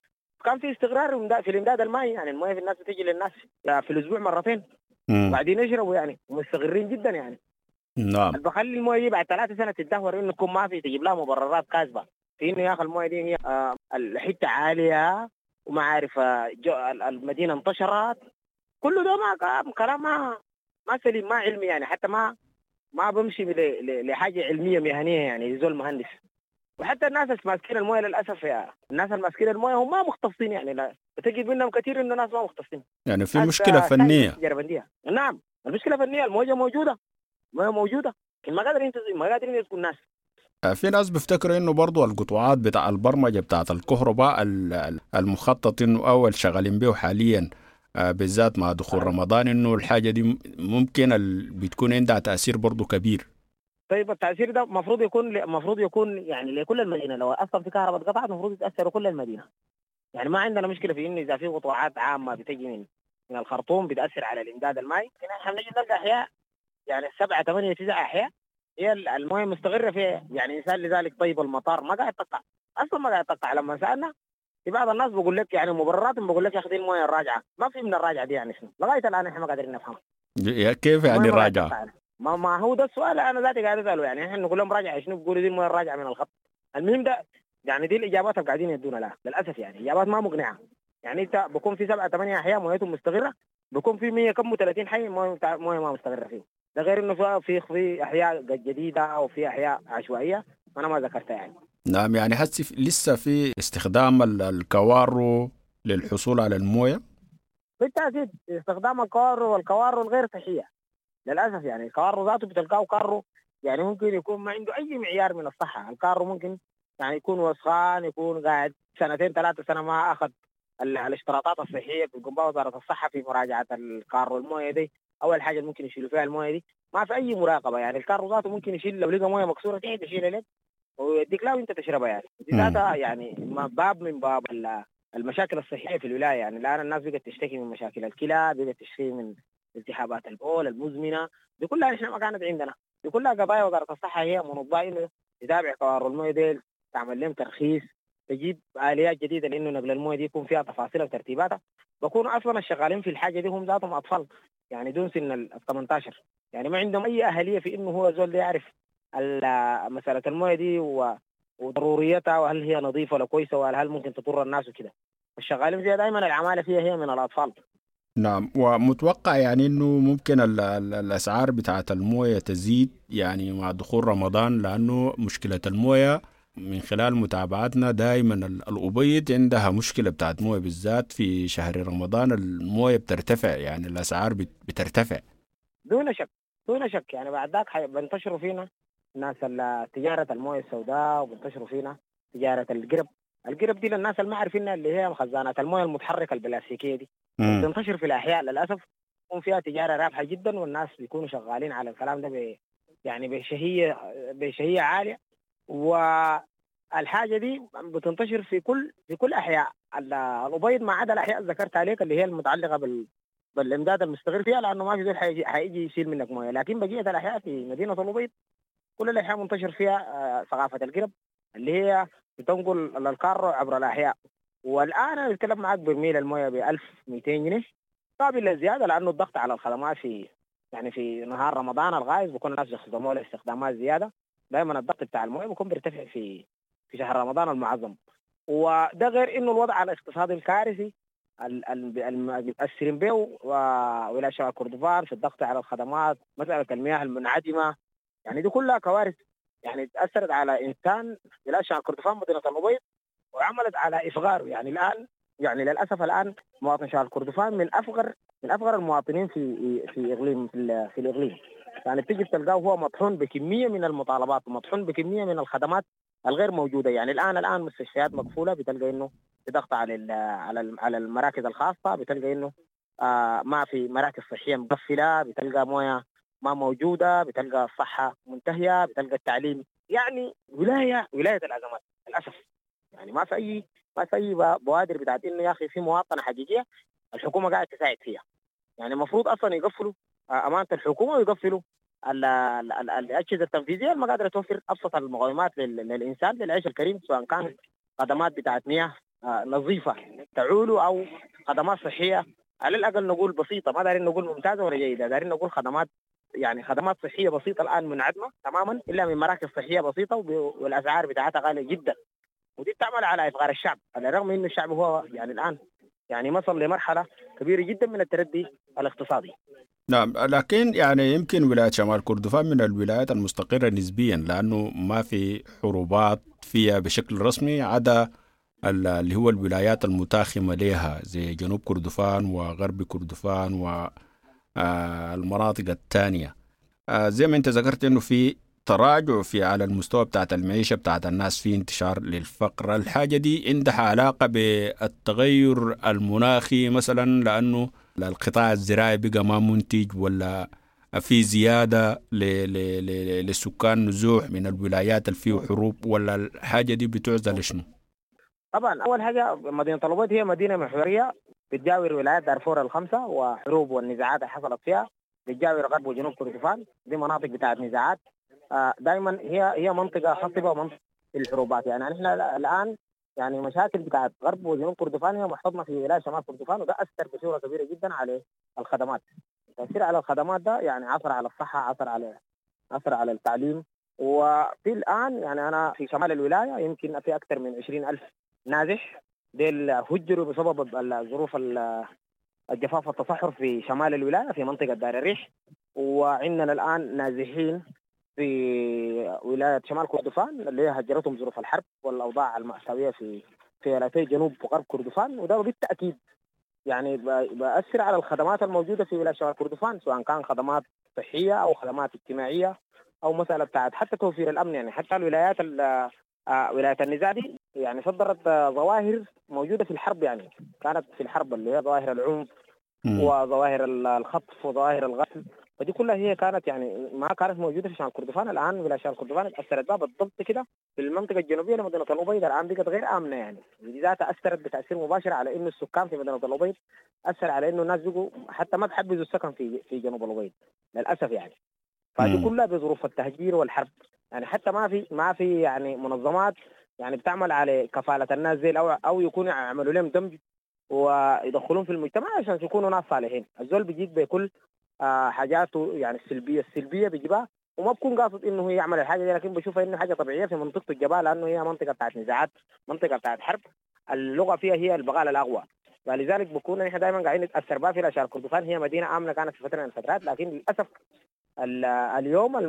كان في استقرار في الإمداد المائي، يعني الموية في الناس بتيجي للناس في الأسبوع مرتين وبعدين يشربوا يعني، ومستقرين جدا يعني. نعم. بخلي المويه دي بعد ثلاثة سنة تدهور انه تكون ما في، تجيب لها مبررات كاذبة في انه يا اخي المويه دي هي آه الحتة عالية وما عارف آه المدينة انتشرت. كله ده ما كلام ما ما سليم، ما علمي يعني، حتى ما ما بمشي لحاجة علمية مهنية يعني زول مهندس. وحتى الناس اللي ماسكين المويه للاسف يا الناس اللي ماسكين المويه هم ما مختصين يعني، لا بتجد منهم كثير انه ناس ما مختصين. يعني في مشكلة فنية. نعم المشكلة فنية، المويه موجودة، المويه موجودة، لكن ما قادرين ما قادرين يسكوا الناس. في ناس بيفتكروا انه برضو القطاعات بتاع البرمجة بتاعه الكهرباء المخطط انه اول شغالين به حاليا بالذات مع دخول رمضان، انه الحاجة دي ممكن بتكون عندها تاثير برضو كبير. طيب التاثير ده المفروض يكون المفروض يكون يعني لكل المدينة. لو اصلا في كهرباء اتقطعت المفروض يتاثروا كل المدينة. يعني ما عندنا مشكلة في انه اذا في قطاعات عامة بتجي من من الخرطوم بتاثر على الامداد المائي. احنا بنجي نلقى احياء يعني سبعة ثمانية تسعة احياء هي المويه مستقره فيها. يعني انسان لذلك طيب المطار ما قاعد تقطع اصلا، ما قاعد تقطع. لما سالنا في بعض الناس بقول لك يعني مبررات، بقول لك يا اخي المويه الراجعة، ما في من الراجعة دي يعني شنو؟ لغاية الان احنا ما قادرين نفهم كيف يعني الراجعة. ما ما هو ده السؤال انا ذاتي قاعد اساله. يعني احنا نقول لهم راجعه شنو، بيقولوا دي المويه الراجعة من الخط. المهم ده يعني دي الاجابات اللي قاعدين يدونا لها للاسف، يعني اجابات ما مقنعة. يعني انت بكون في سبعة ثمانية احياء مويتهم مستقره، بكون في مية كم وثلاثين حي مويه مويه ما مستقره فيه. ده غير انه في في احياء جديدة وفي احياء عشوائية انا ما ذكرتها يعني. نعم، يعني هسه لسه في استخدام الكوارو للحصول على الموية؟ بالتأكيد استخدام الكوارو، والكوارو الغير صحية للأسف. يعني الكوارو ذاته بتلقاه كارو يعني ممكن يكون ما عنده أي معيار من الصحة. الكارو ممكن يعني يكون وسخان، يكون قاعد سنتين ثلاثة سنة ما أخذ الاشتراطات الصحية بتقوم بها وزارة الصحة في مراجعة الكارو الموية دي. أول حاجة ممكن يشيلوا فيها الموية دي، ما في أي مراقبة. يعني الكارو ذاته ممكن يشيل لو لقى موية مكسورة تحت يشيلها لك ويديك لا وانت تشربها. يعني دي ذاتها يعني باب من باب المشاكل الصحية في الولاية. يعني الآن الناس بقت تشتكي من مشاكل الكلى، بقت تشتكي من التهابات البول المزمنة، دي كلها نحن ما كانت عندنا. دي كلها قضايا وزارة الصحة هي منظمة إنه تتابع كوارو الموية دي، تعمل لهم ترخيص، تجيب آليات جديدة لأنه نقل الموية دي يكون فيها تفاصيل وترتيباتها. بكونوا أصلا الشغالين في الحاجة دي هم ذاتهم أطفال، يعني دون سن ال ثمانية عشر، يعني ما عندهم أي أهلية في إنه هو زول يعرف مسألة الموية دي وضروريتها، وهل هي نظيفة ولا كويسة، وهل ممكن تضر الناس وكده. الشغالين فيها دائما العمالة فيها هي من الأطفال. نعم، ومتوقع يعني إنه ممكن ال ال الأسعار بتاعة الموية تزيد يعني مع دخول رمضان، لأنه مشكلة الموية من خلال متابعتنا دائما الأبيض عندها مشكلة بتاعت موية، بالذات في شهر رمضان الموية بترتفع، يعني الأسعار بترتفع دون شك دون شك. يعني بعد ذاك بنتشروا فينا ناس تجارة الموية السوداء، وبنتشروا فينا تجارة القرب. القرب دي للناس اللي ما عارفينها اللي هي خزانات الموية المتحركة البلاستيكية دي، بتنتشر في الأحياء للأسف، يكون فيها تجارة رابحة جدا، والناس بيكونوا شغالين على الكلام ده ب... يعني بشهية بشهية عالية. والحاجة دي بتنتشر في كل في كل أحياء الأبيض ما عدا الأحياء اللي ذكرت عليك اللي هي المتعلقة بال بالإمداد المستقر فيها، لأنه ما في زول حيجي حيجي يشيل منك موية. لكن بقية الأحياء في مدينة الأبيض كل الأحياء منتشر فيها ثقافة القرب اللي هي بتنقل الكارو عبر الأحياء. والآن أنا بتكلم معك برميل الموية ب ألف ومئتين جنيه، قابل للزيادة لأنه الضغط على الخدمات في يعني في نهار رمضان الغايز بيكون الناس بيستخدموها لاستخدامات زيادة. دائما الضغط بتاع الموية بيكون بيرتفع في في شهر رمضان المعظم. وده غير إنه الوضع الاقتصادي الكارثي المتأثرين به وولاية شمال كردفان في الضغط على الخدمات، مسألة المياه المنعدمة، يعني دي كلها كوارث يعني تأثرت على إنسان ولاية شمال كردفان مدينة الأبيض وعملت على إفغاره. يعني الآن يعني للأسف الآن مواطن شمال كردفان من أفغر من أفغر المواطنين في في إقليم في, في الإقليم. يعني بتيجي تلقاه هو مطحون بكمية من المطالبات ومطحون بكمية من الخدمات الغير موجودة. يعني الآن الآن مستشفيات مقفولة، بتلقى إنه بضغط على على على المراكز الخاصة، بتلقى إنه آه ما في مراكز صحية مقفلة، بتلقى موية ما موجودة، بتلقى الصحة منتهية، بتلقى التعليم. يعني ولاية ولاية الأزمات للأسف. يعني ما في أي ما في أي بوادر بتاعت إنه يا أخي في مواطنة حقيقية الحكومة قاعدة تساعد فيها. يعني المفروض أصلا يقفلوا أمانة الحكومة ويقفلوا الأجهزة التنفيذية ما قادرة توفر أبسط المقومات للإنسان للعيش الكريم، سواء كان خدمات بتاعت مياه نظيفة تعول أو خدمات صحية على الأقل نقول بسيطة، ما دارين نقول ممتازة ولا جيدة، دارين نقول خدمات يعني خدمات صحية بسيطة الآن منعدمة تماما إلا من مراكز صحية بسيطة، والأسعار بتاعتها غالية جدا، ودي بتعمل على إفغار الشعب، على الرغم إنه الشعب هو يعني الآن يعني وصل لمرحلة كبيرة جدا من التردي الاقتصادي. نعم، لكن يعني يمكن ولاية شمال كردفان من الولايات المستقرة نسبيا، لأنه ما في حروبات فيها بشكل رسمي عدا اللي هو الولايات المتاخمة لها زي جنوب كردفان وغرب كردفان والمناطق الثانية. زي ما انت ذكرت انه في تراجع في على المستوى بتاعت المعيشة بتاعت الناس، في انتشار للفقر. الحاجة دي عندها علاقة بالتغير المناخي مثلا، لأنه القطاع الزراعي بقى ما منتج، ولا في زيادة للسكان نزوح من الولايات اللي فيه حروب، ولا الحاجة دي بتعزل شنو؟ طبعا أول حاجة مدينة الأبيض هي مدينة محورية بتجاور ولايات دارفور الخمسة وحروب والنزاعات اللي حصلت فيها، بتجاور غرب وجنوب كردفان، دي مناطق بتاعت نزاعات. دائما هي هي منطقة خصبة ومنطقة الحروبات. يعني نحن الآن يعني مشاكل بتاعت غرب وجنوب كردفان هي محتضنة في ولاية شمال كردفان، وده أثر بصورة كبيرة جدا على الخدمات. التأثير على الخدمات ده يعني عثر على الصحة، عثر على عثر على التعليم. وفي الآن يعني أنا في شمال الولاية يمكن في أكثر من عشرين ألف نازح ديل هجروا بسبب الظروف الجفاف والتصحر في شمال الولاية في منطقة دار الريح. وعندنا الآن نازحين في ولاية شمال كردفان اللي هي هجرتهم ظروف الحرب والاوضاع المأساوية في في ولايتي جنوب وغرب كردفان، وده بالتاكيد يعني بأثر على الخدمات الموجودة في ولاية شمال كردفان، سواء كان خدمات صحية او خدمات اجتماعية او مسالة بتاعت حتى توفير الامن. يعني حتى الولايات ولاية النزاع دي يعني صدرت ظواهر موجودة في الحرب، يعني كانت في الحرب اللي هي ظواهر العنف وظواهر الخطف وظواهر القتل، فدي كلها هي كانت يعني ما كانت موجودة في شمال كردفان. الان ولاية شمال كردفان تاثرت بها بالضبط كده في المنطقة الجنوبية لمدينة الابيض، الان بقت غير امنه يعني، ودي ذاتها اثرت بتاثير مباشر على انه السكان في مدينة الابيض، اثر على انه الناس بقوا حتى ما بحبذوا السكن في في جنوب الابيض للاسف يعني. فدي كلها بظروف التهجير والحرب، يعني حتى ما في ما في يعني منظمات يعني بتعمل على كفالة الناس زي او او يكونوا يعملوا لهم دمج ويدخلون في المجتمع عشان يكونوا ناس صالحين. الزول بيجيك بكل آه حاجاته يعني السلبية السلبية بيجيبها، وما بكون قاصد انه هو يعمل الحاجة دي، لكن بشوفها انه حاجة طبيعية في منطقة الجبال، لانه هي منطقة بتاعت نزاعات، منطقة بتاعت حرب، اللغة فيها هي البغال الاقوى، فلذلك بكون نحن دائما قاعدين نتاثر بها في الاشياء. كردفان هي مدينة امنه كانت في فترة من الفترات، لكن للاسف اليوم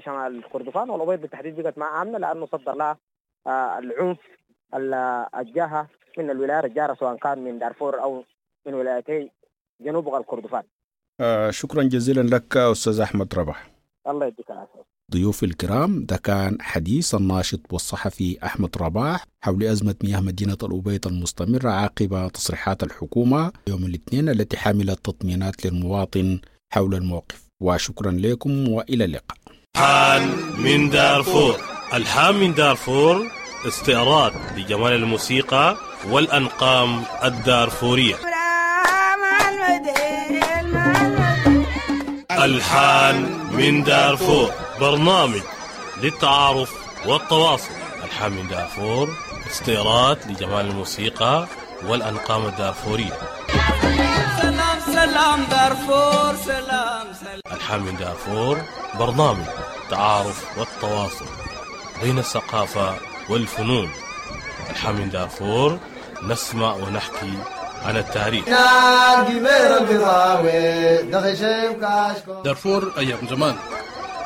شمال كردفان والابيض بالتحديد بقت ما امنه، لانه صدر لها العنف الجاهه من الولايات الجاره، سواء كان من دارفور او من ولايتي جنوب غرب كردفان. آه شكرا جزيلا لك أستاذ أحمد ربح. الله يديك العافية. ضيوف الكرام، ده كان حديث الناشط والصحفي أحمد رباح حول أزمة مياه مدينة الأبيض المستمرة عقب تصريحات الحكومة يوم الاثنين التي حملت تطمينات للمواطن حول الموقف. وشكرا لكم وإلى اللقاء. الحان من دارفور، الحان من دارفور استعراض لجمال الموسيقى والأنقام الدارفورية. الحان من دارفور برنامج للتعارف والتواصل. الحان من دارفور استعراض لجمال الموسيقى والأنقام الدارفورية. سلام سلام دارفور سلام سلام. الحان من دارفور برنامج التعارف والتواصل بين الثقافة والفنون. الحان من دارفور نسمع ونحكي عن التاريخ. دارفور أيام زمان.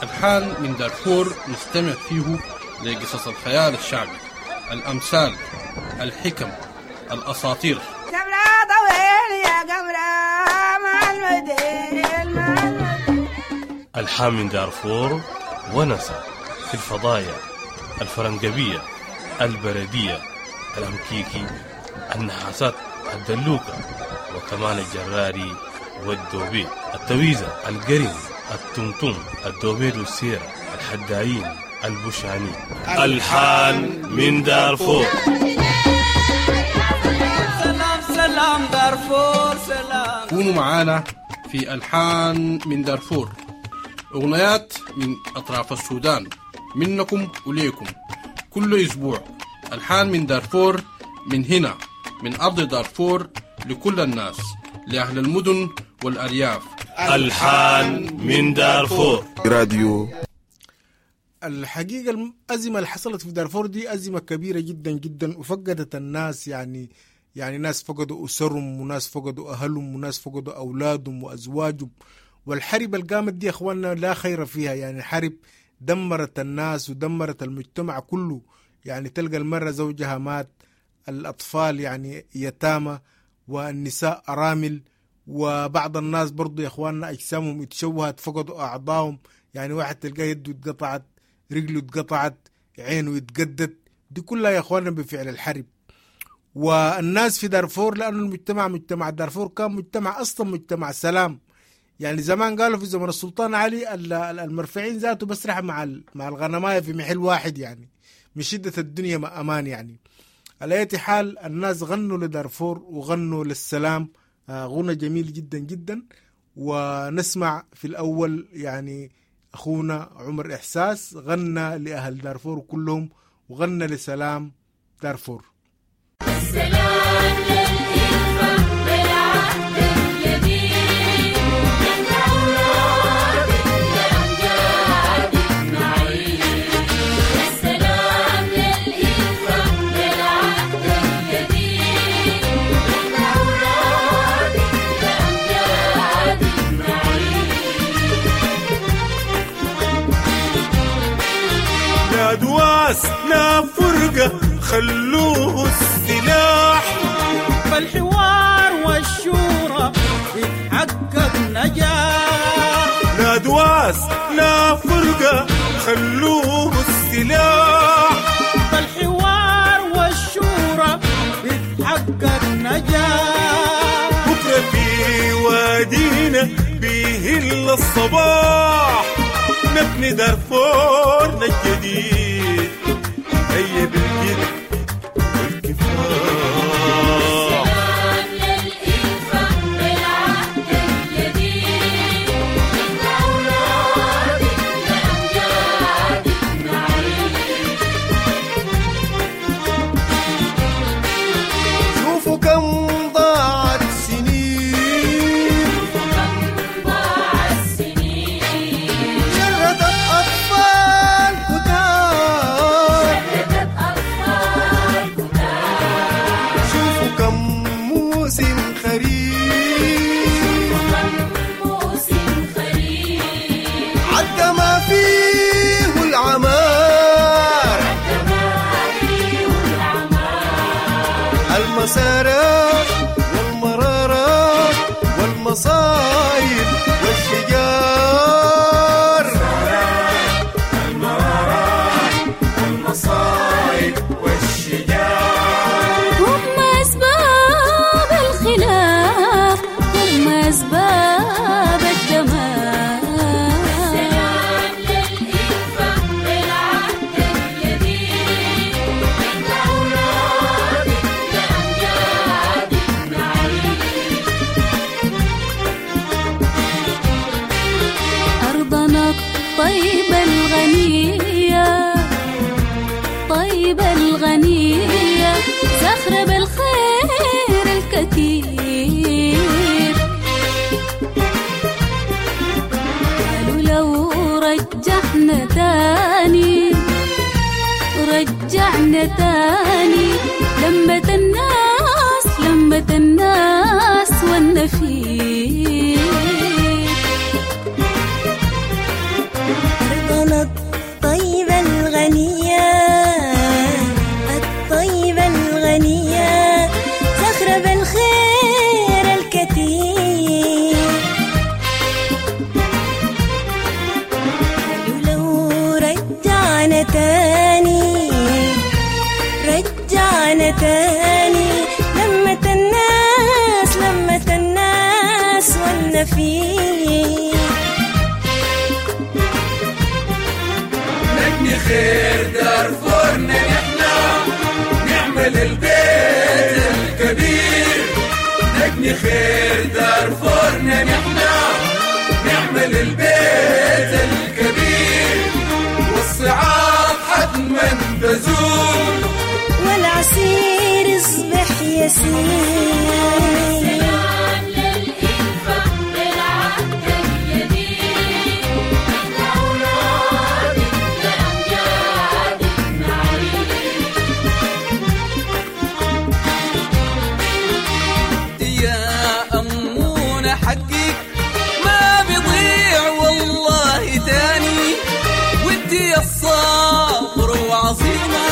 الحان من دارفور نستمع فيه لقصص الخيال الشعبي، الأمثال، الحكم، الأساطير. الحان من دارفور ونسى في الفضايا الفرنجبية، البردية، الأمكيكي، النحاسات، الدلوكة، وكمان الجراري والدوبيت، التويزة، القرن، التمتم، الدوبيت والسيرة، الحدايين، البوشاني. الحان من دارفور. سلام سلام دارفور سلام. كونوا معانا في ألحان من دارفور، أغنيات من أطراف السودان، منكم وليكم كل أسبوع. ألحان من دارفور، من هنا من أرض دارفور، لكل الناس، لأهل المدن والأرياف. ألحان من دارفور راديو. الحقيقة الأزمة اللي حصلت في دارفور دي أزمة كبيرة جدا جدا، وفقدت الناس، يعني يعني ناس فقدوا أسرهم، وناس فقدوا أهلهم، وناس فقدوا أولادهم وأزواجهم. والحرب اللي قامت دي يا أخواننا لا خير فيها، يعني حرب دمرت الناس ودمرت المجتمع كله. يعني تلقى المرة زوجها مات، الأطفال يعني يتامى، والنساء أرامل، وبعض الناس برضو يا إخواننا أجسامهم اتشوهت، فقدوا أعضائهم. يعني واحد تلقى يده اتقطعت، رجله اتقطعت، عينه اتقدت، دي كلها يا إخواننا بفعل الحرب. والناس في دارفور، لأنه المجتمع مجتمع دارفور كان مجتمع أصلا مجتمع سلام. يعني زمان قالوا في زمن السلطان علي المرفعين ذاته بسرح مع مع الغنماية في محل واحد، يعني من شدة الدنيا ما أمان. يعني على أي حال الناس غنوا لدارفور وغنوا للسلام، غنى جميل جدا جدا. ونسمع في الأول يعني أخونا عمر إحساس غنى لأهل دارفور كلهم، وغنى لسلام دارفور. السلام للإخوة بالعهد الجديد، من أولاد الأمجاد نعيد. السلام للإخوة بالعهد الجديد، من أولاد الأمجاد نعيد. لا دواس لا فرقة، خلوه السلاح. فالحوار والشورى بيتحقق نجاح. لا دواس لا فرقة، خلوه السلاح. فالحوار والشورى بيتحقق نجاح. بكرة في وادينا بيهل الصباح، نبني دارفورنا الجديد، هيا بالجد والكفاح. السلام للإلفة بالعهد الجديد، نحن أولادك لأمجادك نعيد. شوفوا كم ضاعت سنين، ضاع السنين، شردت أطفال كتار، شردت أطفال كتار. شوفوا كم موسم خريف، موسم خريف عدى ما فيه العمار، عدى ما فيه العمار. المسارات والمرارات والمصايب والشجار، المرارات والمصايب والشجار. هم أسباب الخلاف، هم أسباب الدمار. السلام للإلفة بالعهد الجديد، نحن أولادك لأمجادك نعيد. أرضنا الطيبة الغنية، طيبة الغنية، زخرة بالخير الكثير. قالوا لو رجعنا تاني، رجعنا تاني، لمة الناس، لمة الناس والنفير. أرضنا الطيبة الغنية، الطيبة الغنية، زخرة بالخير الكثير. قالوا لو رجعنا تاني، رجعنا تاني، لمة الناس، لمة الناس والنفير. نبني خير دارفورنا نحنا، نعمل البيت الكبير. نبني خير دارفورنا نحنا، نعمل البيت الكبير، والصعاب حتما تزول، والعسير يصبح يسير. السلام للإلفة بالعهد الجديد، نحن أولادك لأمجادك نعيد. يا أمونة حقك ما بيضيع والله تاني، وانت يا الصبر وعظيمة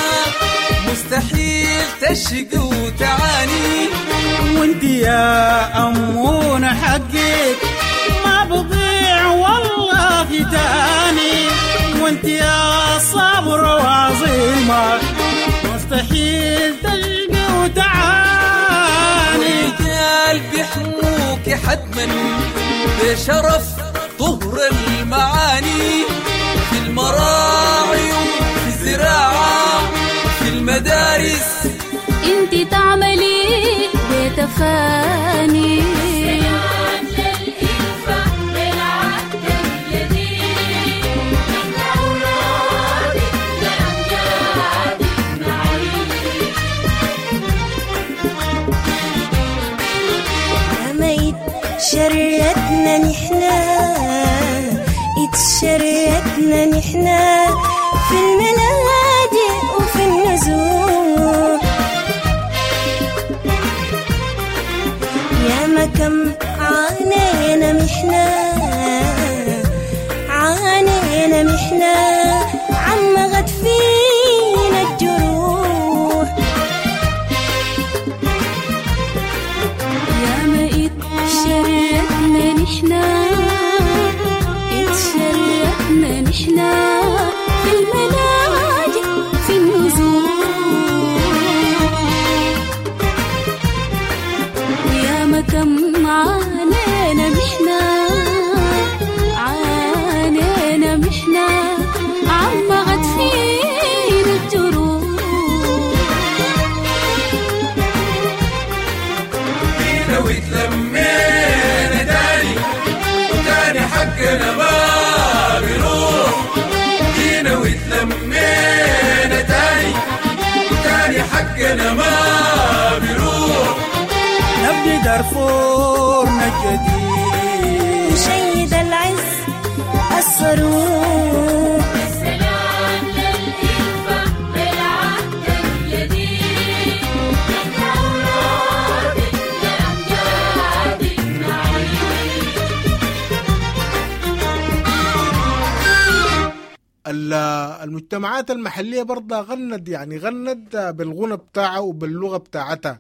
مستحيل تشقي وتعاني. وانت يا أمونة حقك ما بضيع والله تاني، وانت يا صبر وعظيمة مستحيل تشقي وتعاني. والرجال بيحموك حتما بشرف طهر المعاني، في المراعي وفي الزراعة في المدارس، انت تعملي بتفاني. السلام للإلفة بالعهد الجديد، نحن أولادك لأمجادك نعيد. ما اتشردنا نحنا، اتشردنا نحنا في الملاجئ وفي النزوح، يا ما كم عانينا محنة، عانينا محنة، عم غد فينا دارفورنا الجديد. نشيد العز الصاروخ. السلام للإلفة بالعهد الجديد، نحن أولادك لأمجادك نعيد. المجتمعات المحلية برضه غنت، يعني غنت بالغنى بتاعها وباللغة بتاعتها.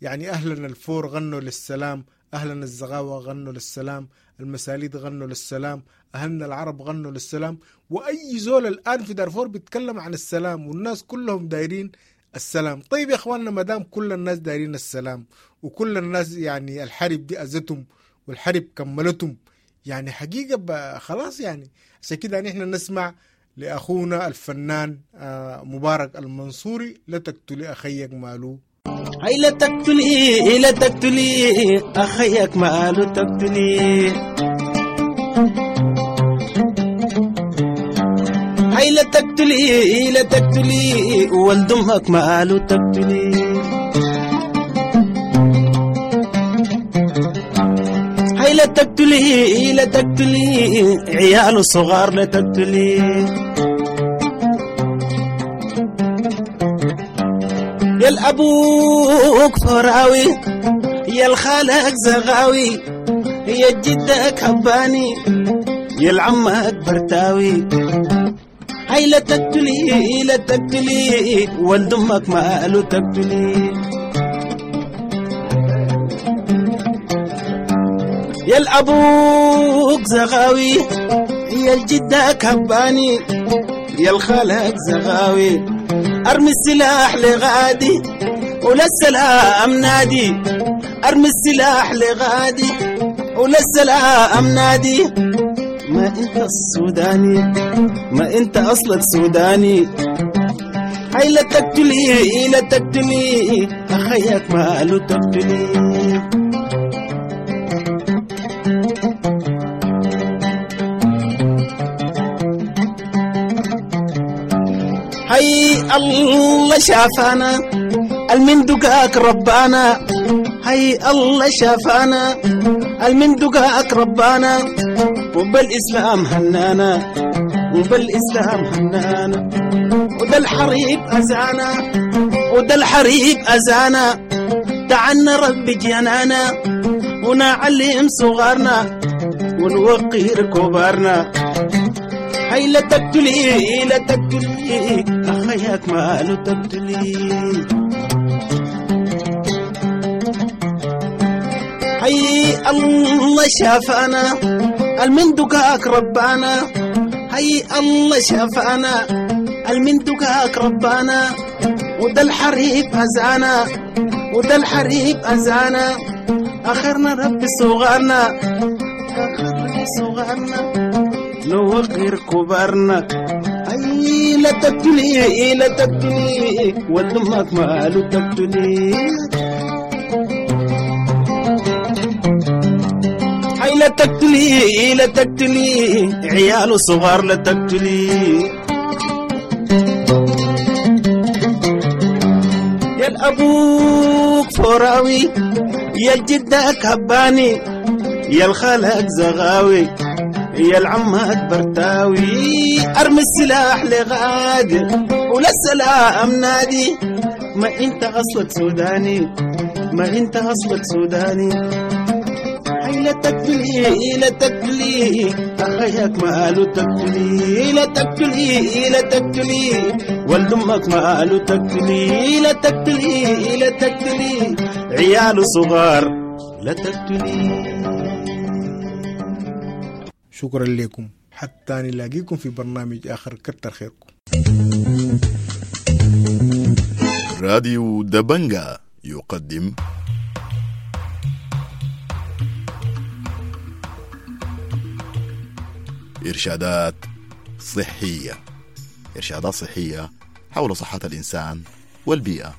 يعني أهلنا الفور غنوا للسلام، أهلنا الزغاوة غنوا للسلام، المساليد غنوا للسلام، أهلنا العرب غنوا للسلام. وأي زول الآن في دارفور بيتكلم عن السلام، والناس كلهم دايرين السلام. طيب يا إخواننا، مدام كل الناس دايرين السلام وكل الناس يعني الحرب دي أذتهم والحرب كملتهم، يعني حقيقة خلاص. يعني عشان كده نحن نسمع لأخونا الفنان مبارك المنصوري، لا تقتلي أخيك مالو. هاي لا تقتلي، لا تقتلي أخيك مالو تقتلي. هاي لا تقتلي، لا تقتلي ولد أمك مالو تقتلي. هاي لا تقتلي، لا تقتلي عياله صغار لا تقتلي. يا الأبوك فراوي، يا الخالك زغاوي، يا جدك هباني، يا العمك برتاوي. هاي لا تقتلي، لا تقتلي ولد أمك ماله تقتلي. يا الأبوك زغاوي، يا الجدك هباني، يا الخالك زغاوي. ارمي السلاح لغادي ولا السلام نادي، ارمي السلاح لغادي ولا السلام نادي. ما انت السوداني، ما انت اصلك سوداني. هاي لا تقتلي، لا تقتلي اخيك ماله تقتلي. هاي الله شافانا المن دقاك ربانا، هاي الله شافانا المن دقاك ربانا، وبالإسلام هنانا، وبالإسلام هنانا. وده الحريب أزانا، وده الحريب أزانا، تعنا ربي جنانا، ونعلم صغارنا ونوقر كبارنا. هاي لا تقتلي، لا تقتلي أخيك ماله تقتلي. هاي الله شافانا المن دقاك ربانا، هاي الله شافانا المن دقاك ربانا، وده الحريب أزانا، وده الحريب أزانا. آخرنا ربي صغارنا، آخرنا صغارنا نوقر كبارنا. أي لا تقتلي، لا تقتلي ولد أمك ماله تقتلي. هاي لا تقتلي، لا تقتلي عياله صغار لا تقتلي. يا الأبوك فراوي، يا الجدك هباني، يا الخالك زغاوي، يا العمك برتاوي. ارمي السلاح لغادي ولا السلام نادي. ما انت اصلك سوداني، ما انت اصلك سوداني. هاي لا تقتلي، لا تقتلي اخيك ماله تقتلي. لا تقتلي، لا تقتلي ولد امك ماله تقتلي. لا تقتلي، لا تقتلي عياله صغار لا تقتلي. شكرا لكم، حتى نلاقيكم في برنامج آخر. كتر خيركم. راديو دبنجا يقدم إرشادات صحية، إرشادات صحية حول صحة الإنسان والبيئة.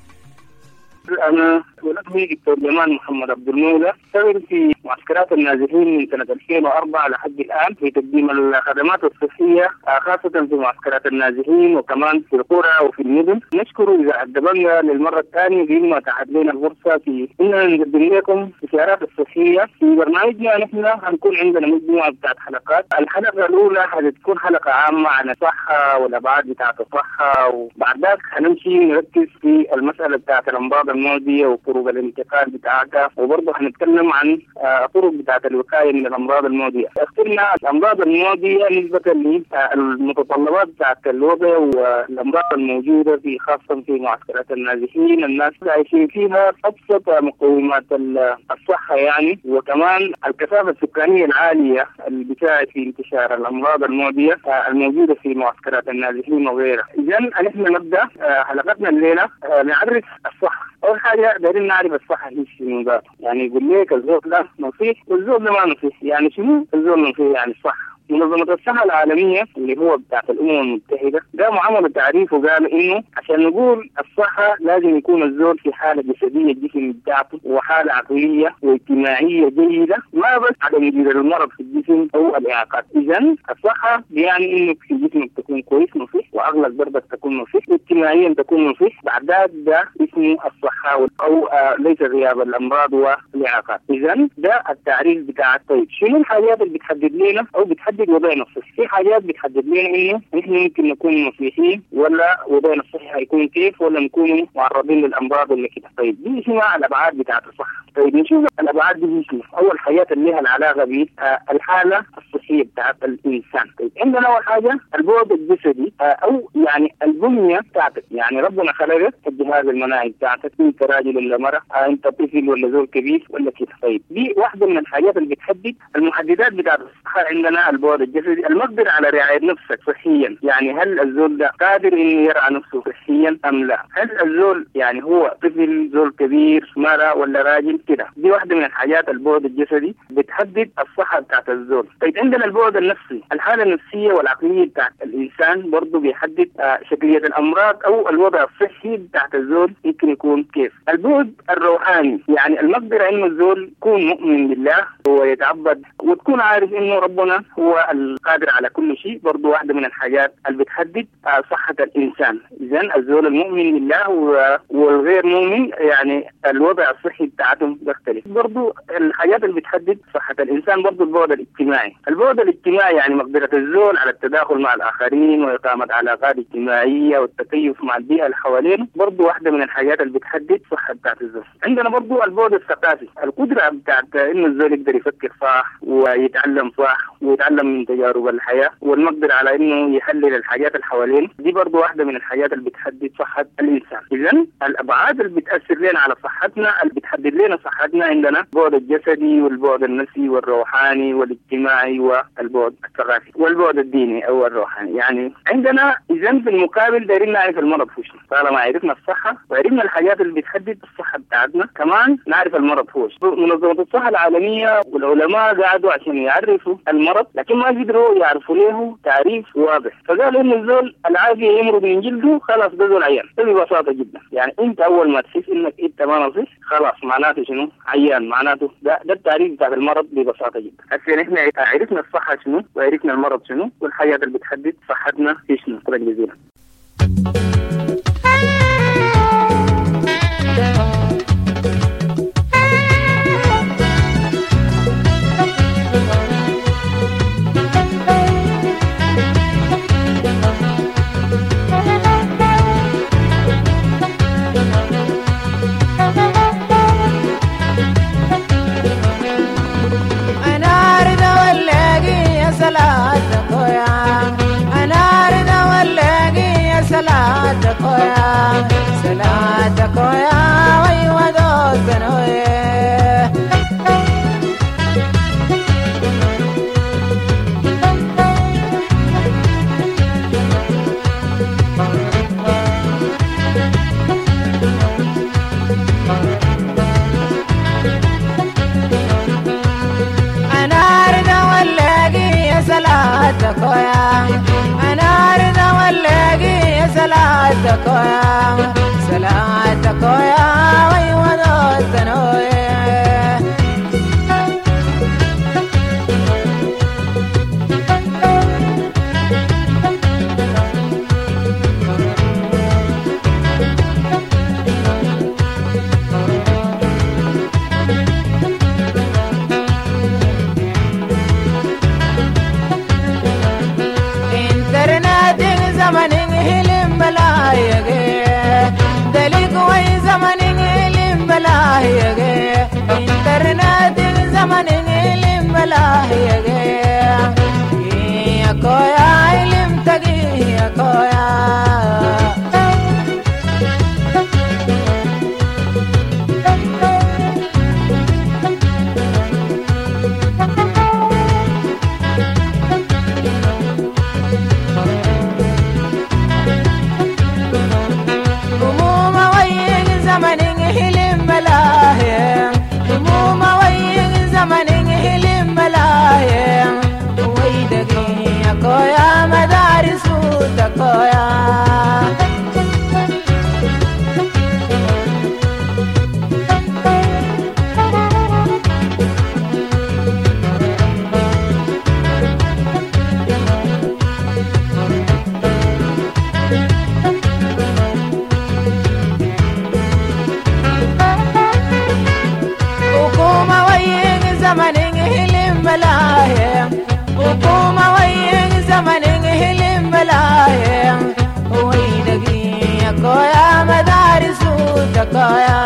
أنا ولدني دكتور جمال محمد عبد المولى، اشتغل في معسكرات النازحين من سنة ألفين وأربعة لحد الآن في تقديم الخدمات الصحية خاصة في معسكرات النازحين وكمان في القرى وفي المدن. نشكر إذاعة دبنجا للمرة الثانية بما اتاحت لنا الفرصة في إننا نقدم لكم استشارات الصحية في برنامجنا. نحن هنكون عندنا مجموعة بتاعت حلقات. الحلقة الأولى هتكون حلقة عامة عن الصحة والأبعاد بتاعت الصحة، وبعد ذلك هنمشي نركز في المسألة بتاعت الأمراض المعدية وطرق الانتقال بتاعتها، وبرضه هنتكلم عن طرق بتاعت الوقاية من الأمراض المعدية. اخترنا الأمراض المعدية نسبة للمتطلبات بتاعت الوضع والأمراض الموجودة في خاصة في معسكرات النازحين، الناس عايشين فيها أبسط مقومات الصحة يعني، وكمان الكثافة السكانية العالية اللي بتساعد في انتشار الأمراض المعدية الموجودة في معسكرات النازحين وغيرها. إذن نحن نبدأ حلقتنا الليلة نعرف الصحة. أول حاجة دايرين نعرف الصحة هي شنو ذاته، يعني يقول لك الزول ده نصيح والزول ده ما نصيح، يعني شنو الزول نصيح يعني الصحة. منظمة الصحة العالمية اللي هو بتاعت الأمم المتحدة قاموا عملوا تعريف وقالوا إنه عشان نقول الصحة لازم يكون الزول في حالة جسدية الجسم بتاعته وحالة عقلية واجتماعية جيدة، ما بس عدم وجود المرض في الجسم أو الإعاقات. إذن الصحة يعني إنه في جسمك تكون كويس نصيح، وعقلك برضك تكون نصيح، واجتماعيا تكون نصيح، بعد ده اسمه الصحة أو آه ليس غياب الأمراض والإعاقات. إذن ده التعريف بتاع. طيب شنو الحاجات اللي بتحدد لنا أو بتحدد وضعنا الصحي؟ في حاجات بتحدد لنا انه نحن ممكن نكون نصيحين ولا وضعنا الصحي هيكون كيف، ولا نكون معرضين للامراض ولا كده. طيب دي شنو الابعاد بتاعت الصحة؟ طيب نشوف الابعاد دي شنو. اول حاجات اللي لها العلاقة بالحالة الصحية بتاعت الانسان. طيب عندنا اول حاجة البعد الجسدي او يعني البنية بتاعتك، يعني ربنا خلقك الجهاز المناعي بتاعتك، انت راجل ولا مرأة، انت طفل ولا زول كبير ولا كده. طيب دي واحدة من الحاجات اللي بتحدد المحددات بتاعت الصحة. عندنا البعد الجسدي، المقدرة على رعاية نفسك صحيا، يعني هل الزول ده قادر انه يرعى نفسه صحيا ام لا؟ هل الزول يعني هو طفل، زول كبير، مرأة ولا راجل كده؟ دي واحدة من الحاجات البعد الجسدي بتحدد الصحة بتاعت الزول. طيب عندنا البعد النفسي، الحالة النفسية والعقلية بتاعت الإنسان برضو بيحدد شكلية الأمراض أو الوضع الصحي بتاعت الزول ممكن يكون كيف. البعد الروحاني، يعني المقدرة إنه الزول يكون مؤمن بالله ويتعبد وتكون عارف إنه ربنا هو القادر على كل شيء، برضو واحدة من الحاجات اللي بتحدد صحة الإنسان. إذن الزول المؤمن بالله والغير مؤمن يعني الوضع الصحي بتاعتهم بيختلف. برضو الحاجات اللي بتحدد صحة الإنسان برضو البعد الاجتماعي. البعد الاجتماعي يعني مقدرة الزول على التداخل مع الآخرين وإقامة علاقات اجتماعية والتكيف مع البيئة اللي حوالينه، برضو واحدة من الحاجات اللي بتحدد صحة بتاعت الزول. عندنا برضو البعد الثقافي، القدرة بتاعت إنه الزول يقدر يفكر صح ويتعلم صح ويتعلم من تجارب الحياة والمقدرة على إنه يحلل الحاجات اللي حوالينه، دي برضو واحدة من الحاجات اللي بتحدد صحة الإنسان. إذن الأبعاد اللي بتأثر لنا على صحتنا، اللي بتحدد لنا صحتنا، عندنا البعد الجسدي والبعد النفسي والروحاني والاجتماعي والبعد الثقافي والبعد الديني أو الروحاني. يعني عندنا إذن في المقابل دايرين نعرف المرض هو شنو. طالما عرفنا الصحة وعرفنا الحاجات اللي بتحدد الصحة بتاعتنا، كمان نعرف المرض هو شنو. منظمة الصحة العالمية والعلماء قعدوا عشان يعرفوا المرض، لكن ما قدروا يعرفوا له تعريف واضح. فقالوا إن الزول العافية يمرض من جلده، خلاص ده زول عيان. ده ببساطة جدا، يعني أنت أول ما تحس إنك أنت ما نصيح خلاص معناته شنو؟ عيان، معناته ده ده التعريف بتاع المرض ببساطة جدا. هسه نحن عرفنا الصحة شنو وعرفنا المرض شنو والحاجات اللي بتحدد صحتنا في شنو. شكرا جزيلا. أنا أريد ولاقي يا سلاتك. الوصايا.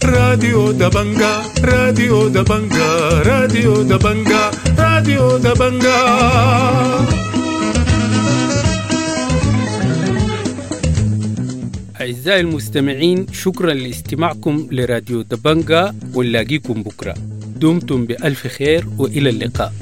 راديو دبنجا، راديو دبنجا، راديو دبنجا، راديو دبنجا. أعزائي المستمعين، شكرا لاستماعكم لراديو دبنجا، ونلاقيكم بكرة. دمتم بألف خير وإلى اللقاء.